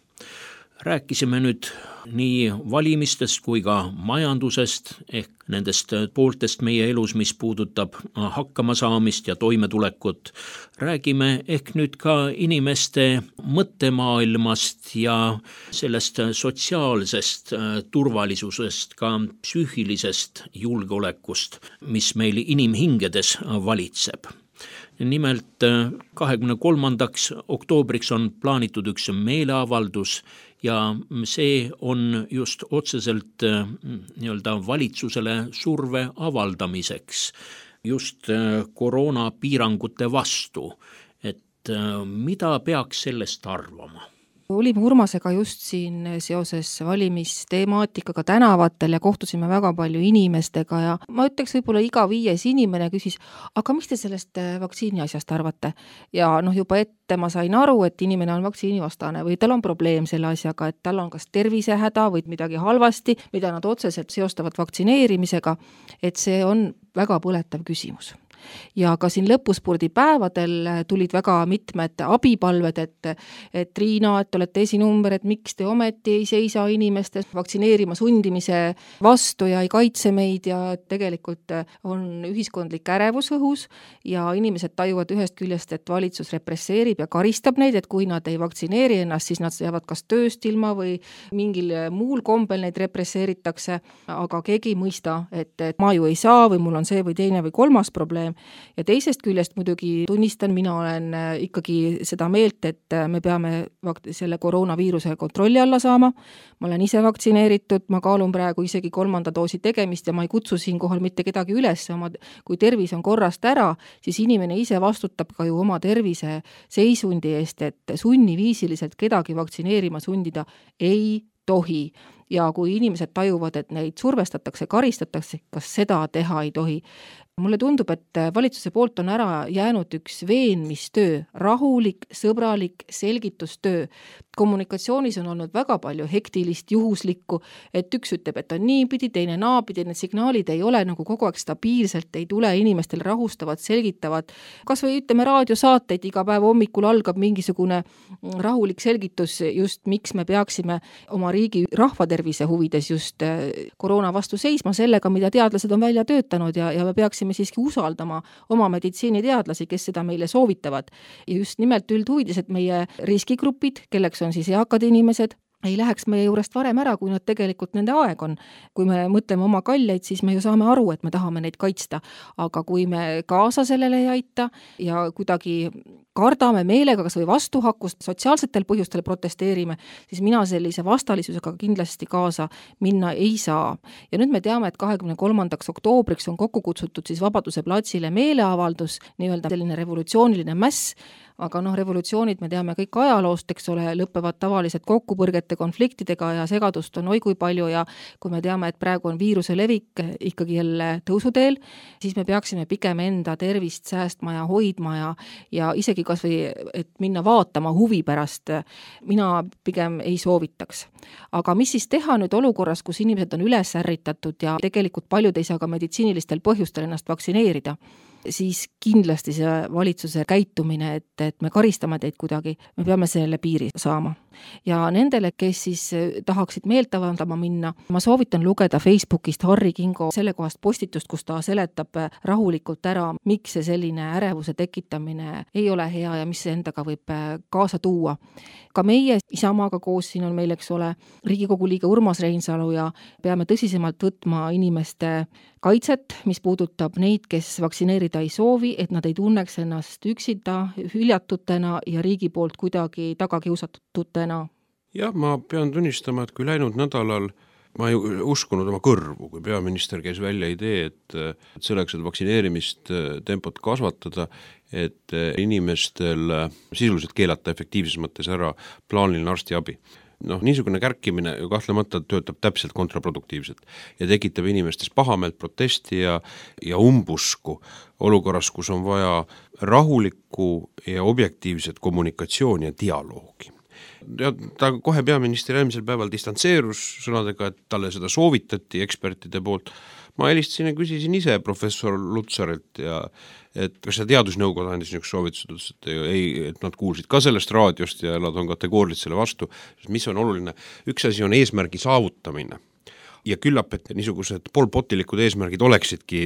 S2: Rääkisime nüüd nii valimistest kui ka majandusest ehk nendest pooltest meie elus, mis puudutab hakkamasaamist ja toimetulekut. Räägime ehk nüüd ka inimeste mõttemaailmast ja sellest sotsiaalsest turvalisusest, ka psüühilisest julgeolekust, mis meil inimhingedes valitseb. Nimelt 23. oktoobriks on plaanitud üks meeleavaldus ja see on just otseselt nii-öelda valitsusele surve avaldamiseks just koroonapiirangute vastu. Et mida peaks sellest arvama?
S4: Olime Urmasega just siin seoses valimisteemaatikaga tänavatel ja kohtusime väga palju inimestega ja ma ütleks võib-olla iga 5. inimene küsis, aga mis te sellest vaktsiini asjast arvate? Ja juba ette ma sain aru, et inimene on vaktsiinivastane või tal on probleem selle asjaga, et tal on kas tervisehäda või midagi halvasti, mida nad otseselt seostavad vaktsineerimisega, et see on väga põletav küsimus. Ja ka siin lõpuspurdi päevadel tulid väga mitmed abipalved, et Riina, et olete esinumber, et miks te ometi ei seisa inimeste vaktsineerima sundimise vastu ja ei kaitse meid ja tegelikult on ühiskondlik ärevus õhus ja inimesed tajuvad ühest küljest, et valitsus represseerib ja karistab neid, et kui nad ei vaktsineeri ennast, siis nad jäävad kas tööst ilma või mingil muul kombel neid represseeritakse, aga keegi ei mõista, et ma ju ei saa või mul on see või teine või kolmas probleem. Ja teisest küljest muidugi tunnistan, mina olen ikkagi seda meelt, et me peame selle koroonaviiruse kontrolli alla saama. Ma olen ise vaktsineeritud, ma kaalun praegu isegi 3. doosi tegemist ja ma ei kutsu siin kohal mitte kedagi üles. Kui tervis on korrast ära, siis inimene ise vastutab ka ju oma tervise seisundi eest, et sunniviisiliselt kedagi vaktsineerima sundida ei tohi. Ja kui inimesed tajuvad, et neid survestatakse, karistatakse, kas seda teha ei tohi. mulle tundub, et valitsuse poolt on ära jäänud üks veenmistöö, rahulik, sõbralik selgitustöö. Kommunikatsioonis on olnud väga palju hektilist, juhuslikku, et üks ütleb, et on niipidi, teine naapidi, need signaalid ei ole nagu kogu aeg stabiilselt, ei tule inimestel rahustavad, selgitavad. Kas või ütleme raadiosaateid, iga päev hommikul algab mingisugune rahulik selgitus just, miks me peaksime oma riigi rahvatervise huvides just koroona vastu seisma sellega, mida teadlased on välja töötanud ja me peaksime siiski usaldama oma meditsiiniteadlasi, kes seda meile soovitavad. Ja just nimelt üldhuvides, et meie riskigrupid, kelleks on siis eakad inimesed, ei läheks meie juurest varem ära, kui nad tegelikult nende aeg on. Kui me mõtleme oma kalleid, siis me ju saame aru, et me tahame neid kaitsta. Aga kui me kaasa sellele ei aita ja kuidagi kardame meelega kas või vastuhakkust, sotsiaalsetel põhjustel protesteerime, siis mina sellise vastalisusega kindlasti kaasa minna ei saa. Ja nüüd me teame, et 23. oktoobriks on kokku kutsutud siis Vabaduse platsile meeleavaldus, nii-öelda selline revolutsiooniline mäss, aga revolutsioonid, me teame kõik ajaloost, eks ole, lõpevad tavaliselt kokkupõrgete, konfliktidega ja segadust on oi kui palju ja kui me teame, et praegu on viiruse levik ikkagi jälle tõusuteel, siis me peaksime pigem enda tervist säästma ja hoidma ja isegi kas või, et minna vaatama huvi pärast, mina pigem ei soovitaks. Aga mis siis teha nüüd olukorras, kus inimesed on üles ärritatud ja tegelikult paljud ei saa ka meditsiinilistel põhjustel ennast vaktsineerida? Siis kindlasti see valitsuse käitumine, et me karistame teid kuidagi, me peame selle piiri saama. Ja nendele, kes siis tahaksid meelt avaldama minna, ma soovitan lugeda Facebookist Harri Kingo selle kohast postitust, kus ta seletab rahulikult ära, miks see selline ärevuse tekitamine ei ole hea ja mis see endaga võib kaasa tuua. Ka meie Isamaaga koos siin on meil, eks ole, Riigikogu liige Urmas Reinsalu ja peame tõsisemalt võtma inimeste kaitset, mis puudutab neid, kes vaktsineerida ei soovi, et nad ei tunneks ennast üksita, hüljatutena ja riigi poolt kuidagi tagakiusatutena.
S3: Jah, ma pean tunnistama, et kui läinud nädalal ma ei uskunud oma kõrvu, kui peaminister käis välja idee, et selleks, et vaktsineerimist tempot kasvatada, et inimestel sisuliselt keelata efektiivses mõttes ära plaaniline arstiabi. Niisugune kärkimine ju kahtlemata töötab täpselt kontraproduktiivselt ja tekitab inimestes pahameelt, protesti ja umbusku olukorras, kus on vaja rahulikku ja objektiivset kommunikatsiooni ja dialoogi. Ja ta kohe peaminister eelmisel päeval distantseerus sõnadega, et talle seda soovitati ekspertide poolt. Ma helistasin ja küsisin ise professor Lutsarilt ja et kas see teadusnõukoda andis niisugust soovitused, et nad kuulsid ka sellest raadiost ja nad on kategooriliselt selle vastu, mis on oluline. Üks asi on eesmärgi saavutamine ja küllap, et niisugused polpotilikud eesmärgid oleksidki,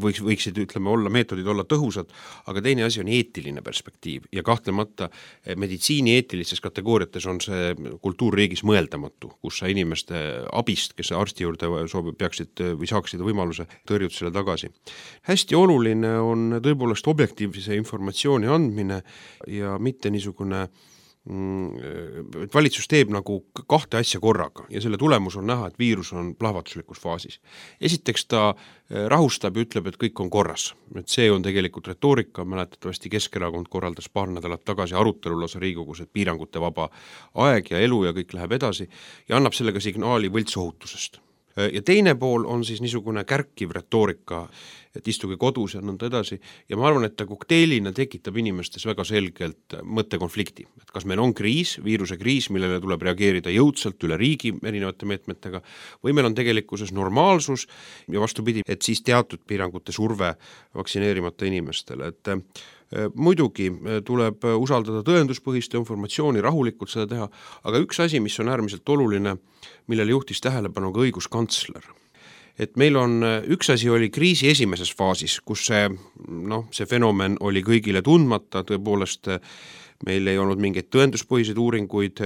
S3: võiksid, ütleme, meetodid olla tõhusad, aga teine asi on eetiline perspektiiv ja kahtlemata meditsiini eetilistes kategooriates on see kultuurriigis mõeldamatu, kus sa inimeste abist, kes arsti juurde peaksid või saaksid võimaluse tõrjud selle tagasi. Hästi oluline on tõepoolest objektiivse informatsiooni andmine ja mitte niisugune valitsus teeb nagu kahte asja korraga ja selle tulemus on näha, et viirus on plahvatuslikus faasis. Esiteks ta rahustab ja ütleb, et kõik on korras. Et see on tegelikult retoorika, mäletatavasti Keskerakond korraldas paar nädalat tagasi arutelul osa Riigikogus, et piirangute vaba aeg ja elu ja kõik läheb edasi ja annab sellega signaali võltsohutusest. Ja teine pool on siis niisugune kärkiv retoorika, et istuge kodus ja nõnda edasi ja ma arvan, et ta kokteilina tekitab inimestes väga selgelt mõttekonflikti, et kas meil on kriis, viiruse kriis, millele tuleb reageerida jõudsalt üle riigi erinevate meetmetega või meil on tegelikkuses normaalsus ja vastupidi, et siis teatud piirangute surve vaktsineerimata inimestele, et muidugi tuleb usaldada tõenduspõhist informatsiooni, rahulikult seda teha, aga üks asi, mis on äärmiselt oluline, millele juhtis tähelepanu ka õiguskantsler. Et meil on, üks asi oli kriisi esimeses faasis, kus see fenomen oli kõigile tundmata, tõepoolest meil ei olnud mingeid tõenduspõhiseid uuringuid,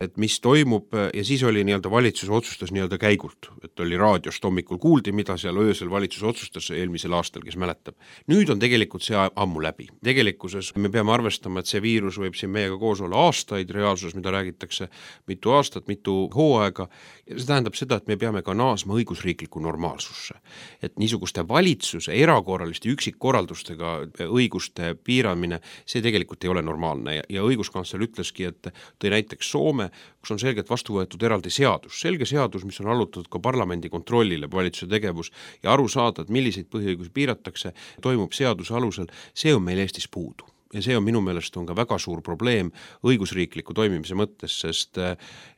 S3: et mis toimub ja siis oli valitsus otsustas käigult, et oli raadiost hommikul kuuldi, mida seal öösel valitsus otsustas eelmisel aastal, kes mäletab. Nüüd on tegelikult see ammu läbi. Tegelikkuses me peame arvestama, et see viirus võib siin meiega koos olla aastaid reaalsuses, mida räägitakse mitu aastat, mitu hooaega ja see tähendab seda, et me peame ka naasma õigusriikliku normaalsusse. Et niisuguste valitsuse erakorraliste üksikkorraldustega õiguste piiramine, see tegelikult ei ole normaalne. ja õiguskantsler ütleski, et tõi näiteks Soome, kus on selgelt vastu võetud eraldi seadus, selge seadus, mis on allutatud ka parlamendi kontrollile, valitsuse tegevus ja aru saada, et milliseid põhiõigusi piiratakse, toimub seaduse alusel, see on meil Eestis puudu. Ja see on minu meelest on ka väga suur probleem õigusriikliku toimimise mõttes, sest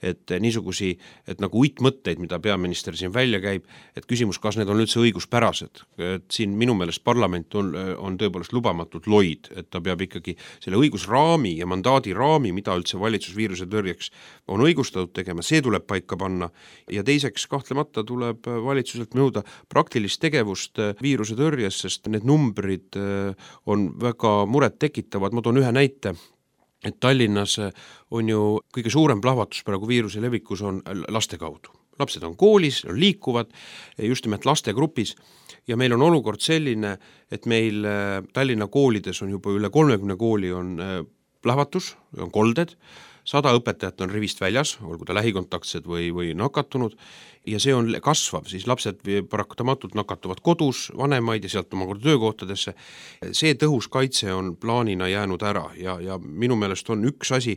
S3: et niisugusi, et nagu uitmõtteid, mida peaminister siin välja käib, et küsimus, kas need on üldse õiguspärased, et siin minu meelest parlament on tõepoolest lubamatult loid, et ta peab ikkagi selle õigusraami ja mandaadi raami, mida üldse valitsus viiruse tõrjeks on õigustatud tegema, see tuleb paika panna ja teiseks kahtlemata tuleb valitsuselt nõuda praktilist tegevust viiruse tõrjes, sest need numbrid on väga muret tekitavad. Ma toon ühe näite, et Tallinnas on ju kõige suurem plahvatus praegu viiruse levikus on laste kaudu. Lapsed on koolis, on liikuvad just nimelt lastegrupis ja meil on olukord selline, et meil Tallinna koolides on juba üle 30 kooli on plahvatus, on kolded, 100 õpetajat on rivist väljas, olgu ta lähikontaktsed või nakatunud ja see on kasvav, siis lapsed paratamatult nakatuvad kodus, vanemaid ja sealt omakorda töökohtadesse. See tõhus kaitse on plaanina jäänud ära ja minu meelest on üks asi,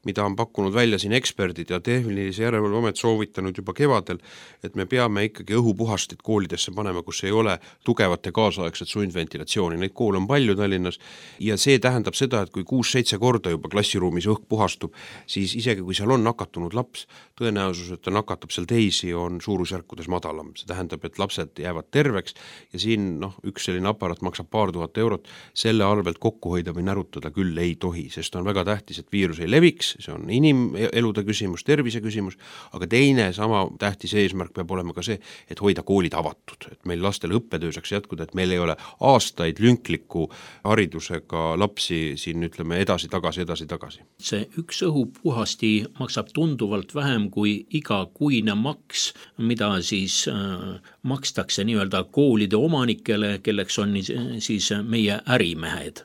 S3: mida on pakkunud välja siin eksperdid ja tehnilise järelevalveamet soovitanud juba kevadel, et me peame ikkagi õhupuhastit koolidesse panema, kus ei ole tugevat ja kaasaegset sundventilatsiooni. Neid koole on palju Tallinnas ja see tähendab seda, et kui 6-7 korda juba klassiruumis õhk puhastub, siis isegi kui seal on nakatunud laps, tõenäosus, et ta nakatab seal teisi, on suurusjärkudes madalam. See tähendab, et lapsed jäävad terveks ja siin üks selline aparaat maksab paar tuhat eurot, selle arvelt kokku hoida või närutada küll ei tohi, sest on väga tähtis, et viirus ei leviks, see on inimelude küsimus, tervise küsimus, aga teine sama tähtis eesmärk peab olema ka see, et hoida koolid avatud, et meil lastel õppetöö saaks jätkuda, et meil ei ole aastaid lünkliku haridusega lapsi siin ütleme edasi-tagasi.
S2: See üks õhupuhasti maksab tunduvalt vähem kui igakuine maks, mida siis makstakse nii-öelda koolide omanikele, kelleks on siis meie ärimehed.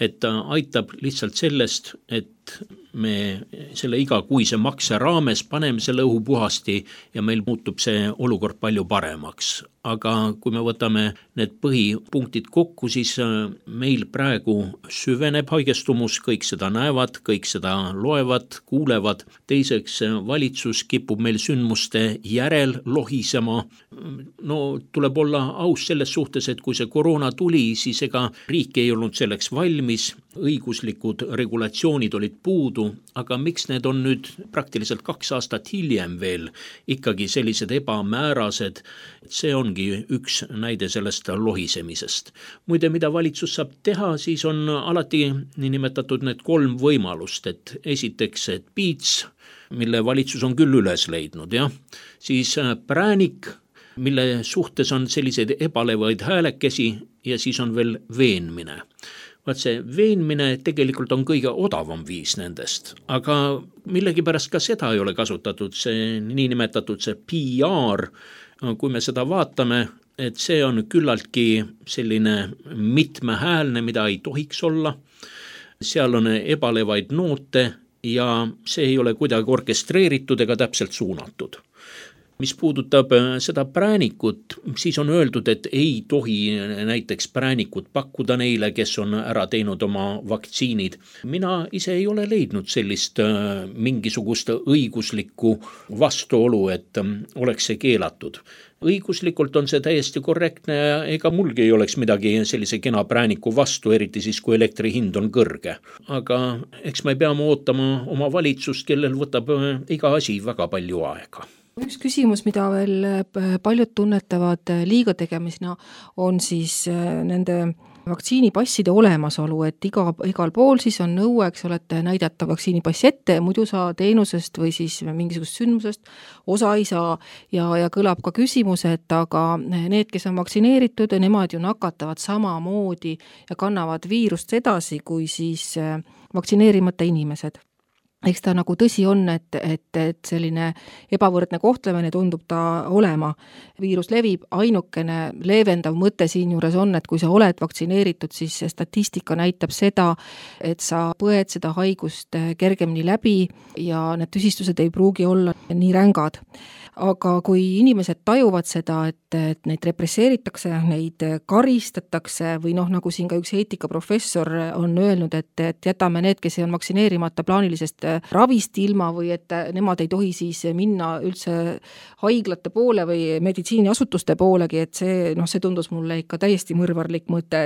S2: Et aitab lihtsalt sellest, et me selle igakuise makse raames paneme selle õhupuhasti ja meil muutub see olukord palju paremaks. Aga kui me võtame need põhipunktid kokku, siis meil praegu süveneb haigestumus, kõik seda näevad, kõik seda loevad, kuulevad. Teiseks, valitsus kipub meil sündmuste järel lohisema. No tuleb olla aus selles suhtes, et kui see koroona tuli, siis ega riik ei olnud selleks valmis, õiguslikud regulatsioonid olid puudu, aga miks need on nüüd praktiliselt 2 aastat hiljem veel ikkagi sellised ebamäärased, see ongi üks näide sellest lohisemisest. Muide, mida valitsus saab teha, siis on alati niinimetatud need 3 võimalust, et esiteks, et piits, mille valitsus on küll üles leidnud, siis präänik, mille suhtes on selliseid ebalevaid häälekesi ja siis on veel veenmine. Vaat see veenmine tegelikult on kõige odavam viis nendest, aga millegipärast ka seda ei ole kasutatud, see niinimetatud see PR, kui me seda vaatame, et see on küllaltki selline mitmehäälne, mida ei tohiks olla, seal on ebalevaid noote ja see ei ole kuidagi orkestreeritud ega täpselt suunatud. Mis puudutab seda präänikut, siis on öeldud, et ei tohi näiteks präänikut pakkuda neile, kes on ära teinud oma vaktsiinid. Mina ise ei ole leidnud sellist mingisugust õiguslikku vastuolu, et oleks see keelatud. Õiguslikult on see täiesti korrektne ja ega mulgi ei oleks midagi sellise kena prääniku vastu, eriti siis, kui elektri hind on kõrge. Aga eks me peame ootama oma valitsust, kellel võtab iga asi väga palju aega.
S4: Üks küsimus, mida veel paljud tunnetavad liiga tegemisena, on siis nende vaktsiinipasside olemasolu, et igal pool siis on nõue, eks ole, et näidata vaktsiinipassi ette, muidu sa teenusest või siis mingisugust sündmusest osa ei saa ja kõlab ka küsimus, et aga need, kes on vaktsineeritud, nemad ju nakatavad samamoodi ja kannavad viirust edasi kui siis vaktsineerimata inimesed. eks ta nagu tõsi on, et selline ebavõrdne kohtlemine tundub ta olema. Viirus levib, ainukene leevendav mõte siin juures on, et kui sa oled vaktsineeritud, siis statistika näitab seda, et sa põed seda haigust kergemini läbi ja need tüsistused ei pruugi olla nii rängad. Aga kui inimesed tajuvad seda, et neid represseeritakse, neid karistatakse või nagu siin ka üks eetikaprofessor on öelnud, et jätame need, kes on vaktsineerimata plaanilisest ravist ilma või et nemad ei tohi siis minna üldse haiglate poole või meditsiiniasutuste poolegi, et see tundus mulle ikka täiesti mõrvarlik mõte,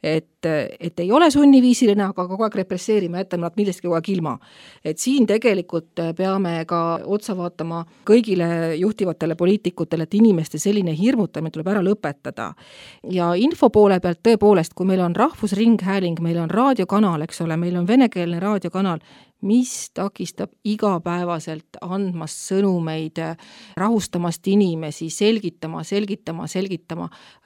S4: et ei ole sunniviisiline, aga kogu aeg represseerime, jätame nad millestki kogu aeg ilma. Et siin tegelikult peame ka otsa vaatama kõigile juhtivatele poliitikutele, et inimeste selline hirmutamine tuleb ära lõpetada. Ja info poole pealt tõepoolest, kui meil on rahvusringhääling, meil on raadiokanal, eks ole, meil on venekeelne raadiokanal, mis takistab igapäevaselt andmast sõnumeid, rahustamast inimesi, selgitama,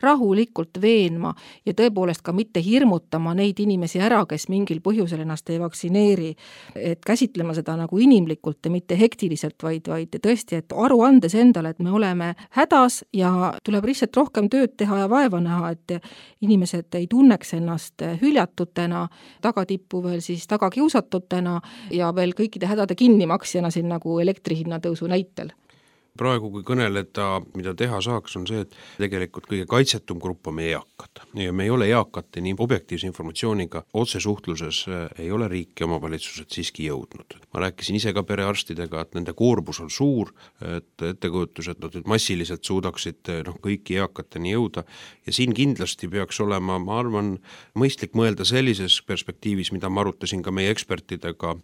S4: rahulikult veenma ja tõepoolest ka mitte hirmutama neid inimesi ära, kes mingil põhjusel ennast ei vaktsineeri, et käsitlema seda nagu inimlikult ja mitte hektiliselt, vaid tõesti, et aru andes endale, et me oleme hädas ja tuleb lihtsalt rohkem tööd teha ja vaeva näha, et inimesed ei tunneks ennast hüljatutena, tagatippu veel siis tagakiusatutena ja veel kõikide hädade kinnimaksjana siin nagu elektrihinna tõusu näitel.
S3: Praegu, kui kõneleda, mida teha saaks, on see, et tegelikult kõige kaitsetum grupp on meie eakad. Ja me ei ole eakate nii objektiivse informatsiooniga otsesuhtluses ei ole riik ja omavalitsused siiski jõudnud. Ma rääkisin ise ka perearstidega, et nende koormus on suur, et ettekujutus, et nad massiliselt suudaksid kõiki eakateni jõuda ja siin kindlasti peaks olema, ma arvan, mõistlik mõelda sellises perspektiivis, mida ma arutasin ka meie ekspertidega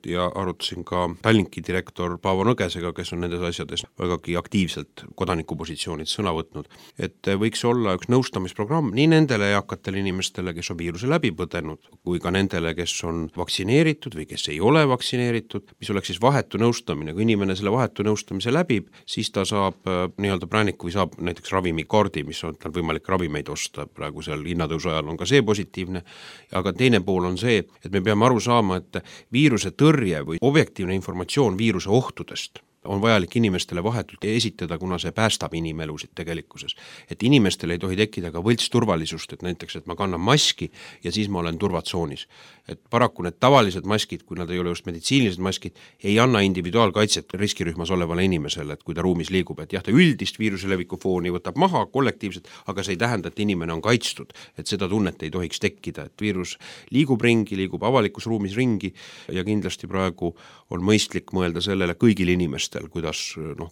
S3: ja arutasin ka Tallinki direktor Paavo Nõgesega, kes on nendes asjades vägagi aktiivselt kodanikupositsioonid sõna võtnud, et võiks olla üks nõustamisprogramm nii nendele eakatele inimestele, kes on viiruse läbi põdenud, kui ka nendele, kes on vaktsineeritud või kes ei ole vaktsineeritud, mis oleks siis vahetu nõustamine. Kui inimene selle vahetu nõustamise läbib, siis ta saab nii-öelda prääniku või saab näiteks ravimikaardi, mis on tal võimalik ravimeid osta, praegu seal hinnatõusu ajal on ka see positiivne, aga teine pool on see, et me peame aru saama, et viiruse tõrje või objektiivne informatsioon viiruse ohtudest on vajalik inimestele vahetult esitada, kuna see päästab inimelusid tegelikkuses. Et inimestel ei tohi tekkida ka võlts turvalisust, et näiteks, et ma kannan maski ja siis ma olen turvatsoonis. Et paraku need tavalised maskid, kui nad ei ole just meditsiinilised maskid, ei anna individuaalkaitset riskirühmas olevale inimesele, et kui ta ruumis liigub, et jah, ta üldist viiruse leviku fooni võtab maha kollektiivselt, aga see ei tähenda, et inimene on kaitstud, et seda tunnet ei tohiks tekkida, et viirus liigub ringi, liigub avalikus ruumis ringi ja kindlasti praegu on mõistlik mõelda sellele kõigil inimestel, kuidas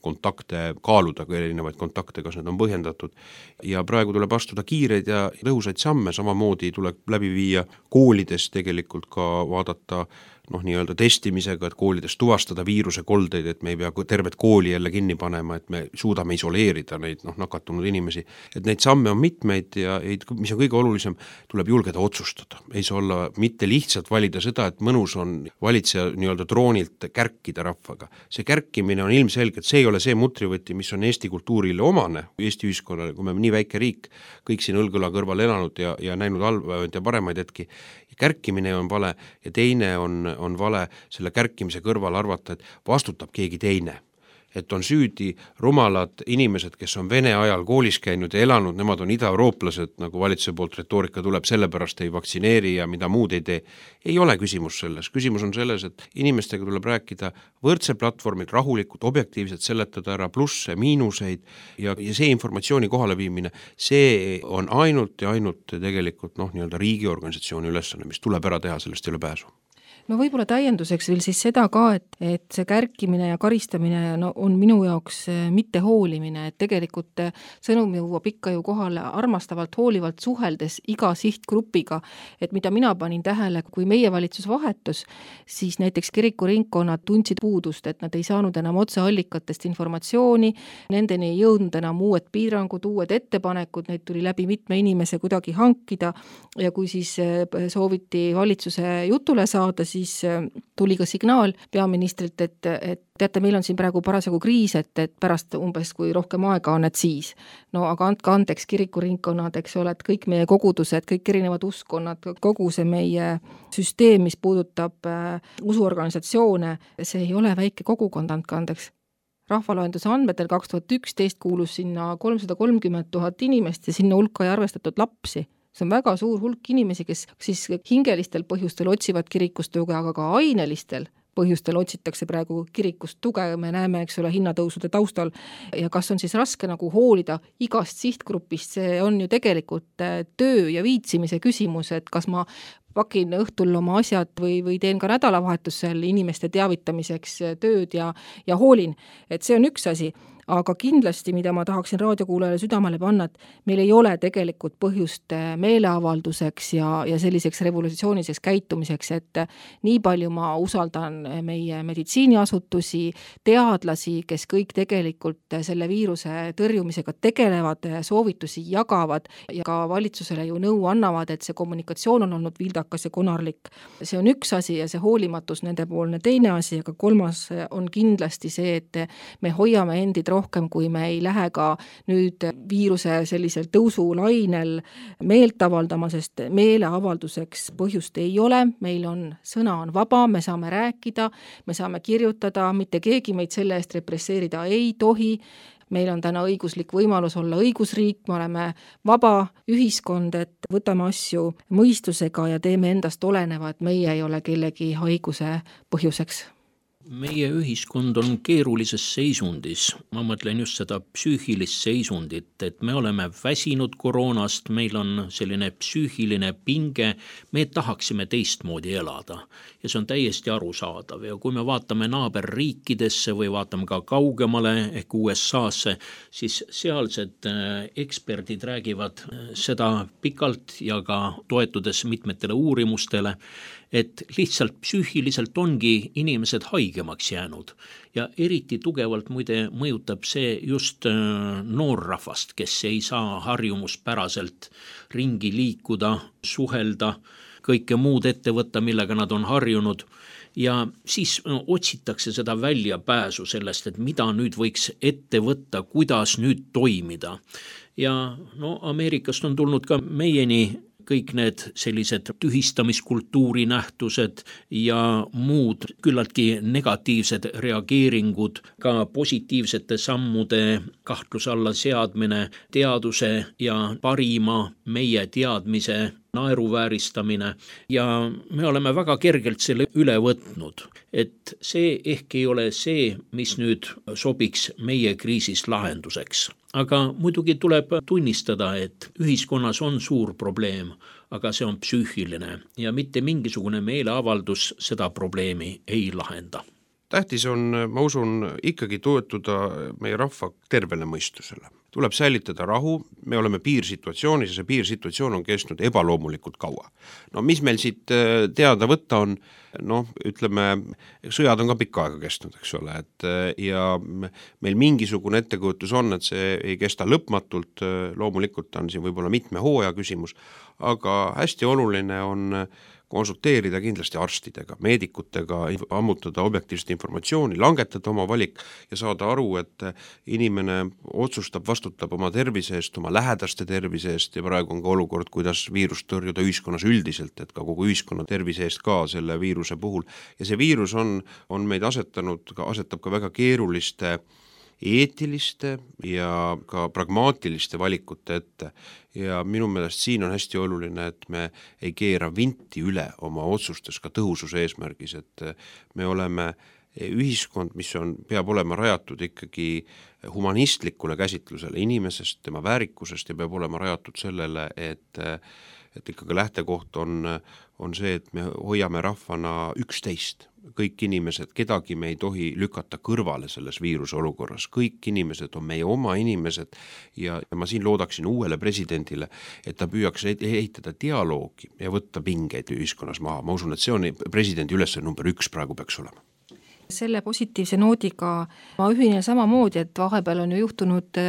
S3: kontakte kaaluda, kui erinevaid kontakte, kas need on põhjendatud. Ja praegu tuleb astuda kiireid ja tõhusaid samme, samamoodi tuleb läbi viia koolides tegelikult ka vaadata nii-öelda testimisega, et koolides tuvastada viiruse koldeid, et me ei pea tervet kooli jälle kinni panema, et me suudame isoleerida neid nakatunud inimesi. Et neid samme on mitmeid ja mis on kõige olulisem, tuleb julgeda otsustada. Ei saa olla mitte lihtsalt valida seda, et mõnus on valitseja nii-öelda troonilt kärkida rahvaga. See kärkimine on ilmselgelt, see ei ole see mutrivõti, mis on Eesti kultuurile omane, Eesti ühiskonnale, kui me nii väike riik, kõik siin õlgõla kõrval elanud ja näinud halvaid ja paremaid hetki. Kärkimine on vale ja teine on vale selle kärkimise kõrval arvata, et vastutab keegi teine. Et on süüdi rumalad inimesed, kes on Vene ajal koolis käinud ja elanud, nemad on ida-eurooplased, nagu valitsuse poolt retoorika tuleb, sellepärast ei vaktsineeri ja mida muud ei tee. Ei ole küsimus selles. Küsimus on selles, et inimestega tuleb rääkida võrdse platvormil rahulikult, objektiivselt seletada ära plusse, miinuseid ja see informatsiooni kohaleviimine, see on ainult tegelikult nii-öelda riigiorganisatsiooni ülesanne, mis tuleb ära teha, sellest ei ole pääsu.
S4: No võib-olla täienduseks veel siis seda ka, et see kärkimine ja karistamine on minu jaoks mitte hoolimine, et tegelikult sõnum jõuab ikka ju kohale armastavalt, hoolivalt suheldes iga sihtgrupiga, et mida mina panin tähele, kui meie valitsus vahetus, siis näiteks kirikuringkonnad tundsid puudust, et nad ei saanud enam otseallikatest informatsiooni, nendeni ei jõudnud enam uued piirangud, uued ettepanekud, neid tuli läbi mitme inimese kuidagi hankida ja kui siis sooviti valitsuse jutule saada, siis tuli ka signaal peaministrilt, et teate, meil on siin praegu parasjagu kriis, et pärast umbes, kui rohkem aega on, et siis. No aga andke andeks, kirikuringkonnad, eks ole, et kõik meie kogudused, kõik erinevad uskonnad, kogu see meie süsteem, mis puudutab usuorganisatsioone, see ei ole väike kogukond, andke andeks. Rahvaloenduse andmetel 2011 kuulus sinna 330 000 inimest ja sinna hulka ei arvestatud lapsi. See on väga suur hulk inimesi, kes siis hingelistel põhjustel otsivad kirikust tuge, aga ka ainelistel põhjustel otsitakse praegu kirikust tuge, me näeme, eks ole, hinnatõusude taustal ja kas on siis raske nagu hoolida igast sihtgrupist, see on ju tegelikult töö ja viitsimise küsimus, et kas ma pakin õhtul oma asjad või teen ka nädalavahetusel inimeste teavitamiseks tööd ja hoolin, et see on üks asi. Aga kindlasti, mida ma tahaksin raadiokuulajale südamele panna, et meil ei ole tegelikult põhjust meeleavalduseks ja selliseks revolutsiooniliseks käitumiseks, et nii palju ma usaldan meie meditsiiniasutusi, teadlasi, kes kõik tegelikult selle viiruse tõrjumisega tegelevad, soovitusi jagavad ja ka valitsusele ju nõu annavad, et see kommunikatsioon on olnud vildakas ja konarlik. See on üks asi ja see hoolimatus nendepoolne teine asi, aga kolmas on kindlasti see, et me hoiame endid rohkem, kui me ei lähe ka nüüd viiruse sellisel tõusulainel meelt avaldama, sest meeleavalduseks põhjust ei ole, meil on sõna on vaba, me saame rääkida, me saame kirjutada, mitte keegi meid selle eest represseerida ei tohi, meil on täna õiguslik võimalus olla õigusriik, me oleme vaba ühiskond, et võtame asju mõistusega ja teeme endast oleneva, et meie ei ole kellegi haiguse põhjuseks.
S2: Meie ühiskond on keerulises seisundis, ma mõtlen just seda psüühilist seisundit, et me oleme väsinud koroonast, meil on selline psüühiline pinge, me tahaksime teistmoodi elada ja see on täiesti arusaadav ja kui me vaatame naaberriikidesse või vaatame ka kaugemale ehk USA'sse, siis sealsed eksperdid räägivad seda pikalt ja ka toetudes mitmetele uurimustele, et lihtsalt psüühiliselt ongi inimesed haigemaks jäänud ja eriti tugevalt muide mõjutab see just noorrahvast, kes ei saa harjumuspäraselt ringi liikuda, suhelda, kõike muud ette võtta, millega nad on harjunud ja siis otsitakse seda väljapääsu sellest, et mida nüüd võiks ette võtta, kuidas nüüd toimida. Ja Ameerikast on tulnud ka meieni kõik need sellised tühistamiskultuuri nähtused ja muud küllaltki negatiivsed reageeringud, ka positiivsete sammude kahtluse alla seadmine, teaduse ja parima meie teadmise naeruvääristamine ja me oleme väga kergelt selle üle võtnud, et see ehk ei ole see, mis nüüd sobiks meie kriisis lahenduseks. Aga muidugi tuleb tunnistada, et ühiskonnas on suur probleem, aga see on psüühiline ja mitte mingisugune meeleavaldus seda probleemi ei lahenda.
S3: Tähtis on, ma usun, ikkagi toetuda meie rahva tervele mõistusele. Tuleb säilitada rahu, me oleme piirsituatsioonis ja see piirsituatsioon on kestnud ebaloomulikult kaua. Mis meil siit teada võtta on, ütleme, sõjad on ka pikka aega kestnud, eks ole, ja meil mingisugune ettekujutus on, et see ei kesta lõpmatult, loomulikult on siin võib-olla mitme hooaja küsimus, aga hästi oluline on konsulteerida kindlasti arstidega, meedikutega, ammutada objektiivset informatsiooni, langetada oma valik ja saada aru, et inimene otsustab, vastutab oma tervise eest, oma lähedaste tervise eest ja praegu on ka olukord, kuidas viirust tõrjuda ühiskonnas üldiselt, et ka kogu ühiskonna tervise eest ka selle viiruse puhul. Ja see viirus on meid asetab ka väga keeruliste eetiliste ja ka pragmaatiliste valikute ette ja minu meelest siin on hästi oluline, et me ei keera vinti üle oma otsustes ka tõhususe eesmärgis, et me oleme ühiskond, mis peab olema rajatud ikkagi humanistlikule käsitlusele inimesest, tema väärikusest ja peab olema rajatud sellele, et ikkagi lähtekoht on see, et me hoiame rahvana üksteist. Kõik inimesed, kedagi me ei tohi lükata kõrvale selles viiruse olukorras. Kõik inimesed on meie oma inimesed ja ma siin loodaksin uuele presidendile, et ta püüaks ehitada dialoogi ja võtta pingeid ühiskonnas maha. Ma usun, et see on presidendi ülesanne number 1 praegu peaks olema.
S4: selle positiivse noodiga ma ühinen samamoodi, et vahepeal on ju juhtunud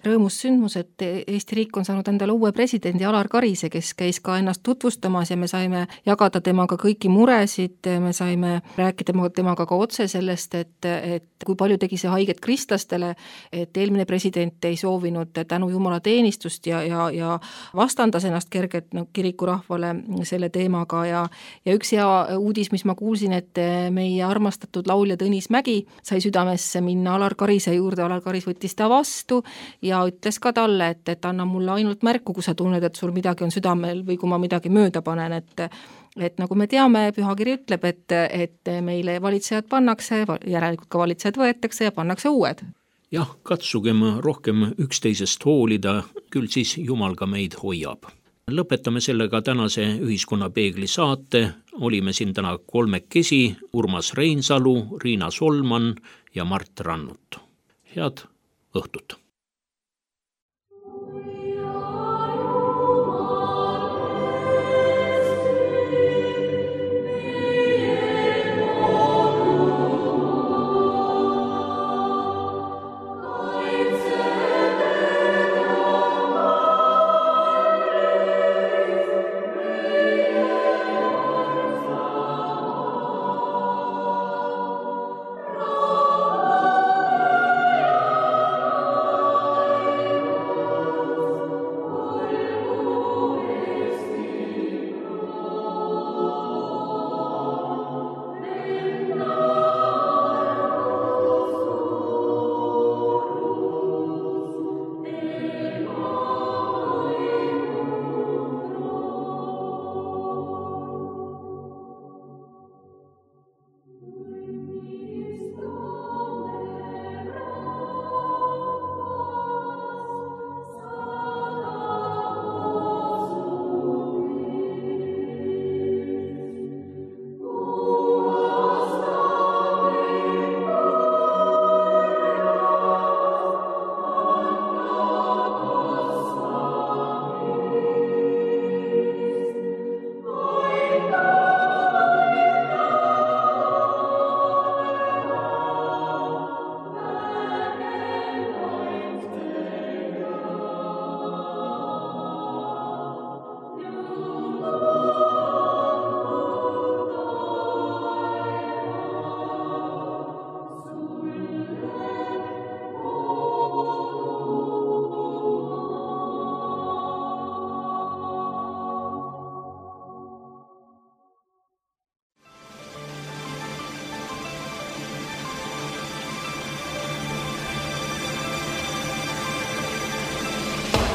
S4: rõõmus sündmus, et Eesti riik on saanud endale uue presidendi Alar Karise, kes käis ka ennast tutvustamas ja me saime jagada temaga kõiki muresid, me saime rääkida temaga ka otse sellest, et kui palju tegi see haiget kristlastele, et eelmine president ei soovinud tänu Jumala teenistust ja vastandas ennast kergelt kirikurahvale selle teemaga ja üks hea uudis, mis ma kuulsin, et meie armastatud laulja Tõnis Mägi sai südamesse minna Alar Karise juurde, Alar Karis võttis ta vastu ja ütles ka talle, et anna mulle ainult märku, kui sa tunned, et sul midagi on südamel või kui ma midagi mööda panen, et nagu me teame, pühakiri ütleb, et meile valitsejad pannakse, järelikult ka valitsejad võetakse ja pannakse uued.
S2: Jah, katsugem rohkem üksteisest hoolida, küll siis Jumal ka meid hoiab. Lõpetame sellega tänase Ühiskonnapeegli saate. Olime siin täna kolmekesi: Urmas Reinsalu, Riina Solman ja Mart Rannut. Head õhtut!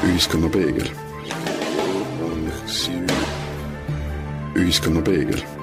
S1: Ühiskonnapeegel. Ühiskonnapeegel.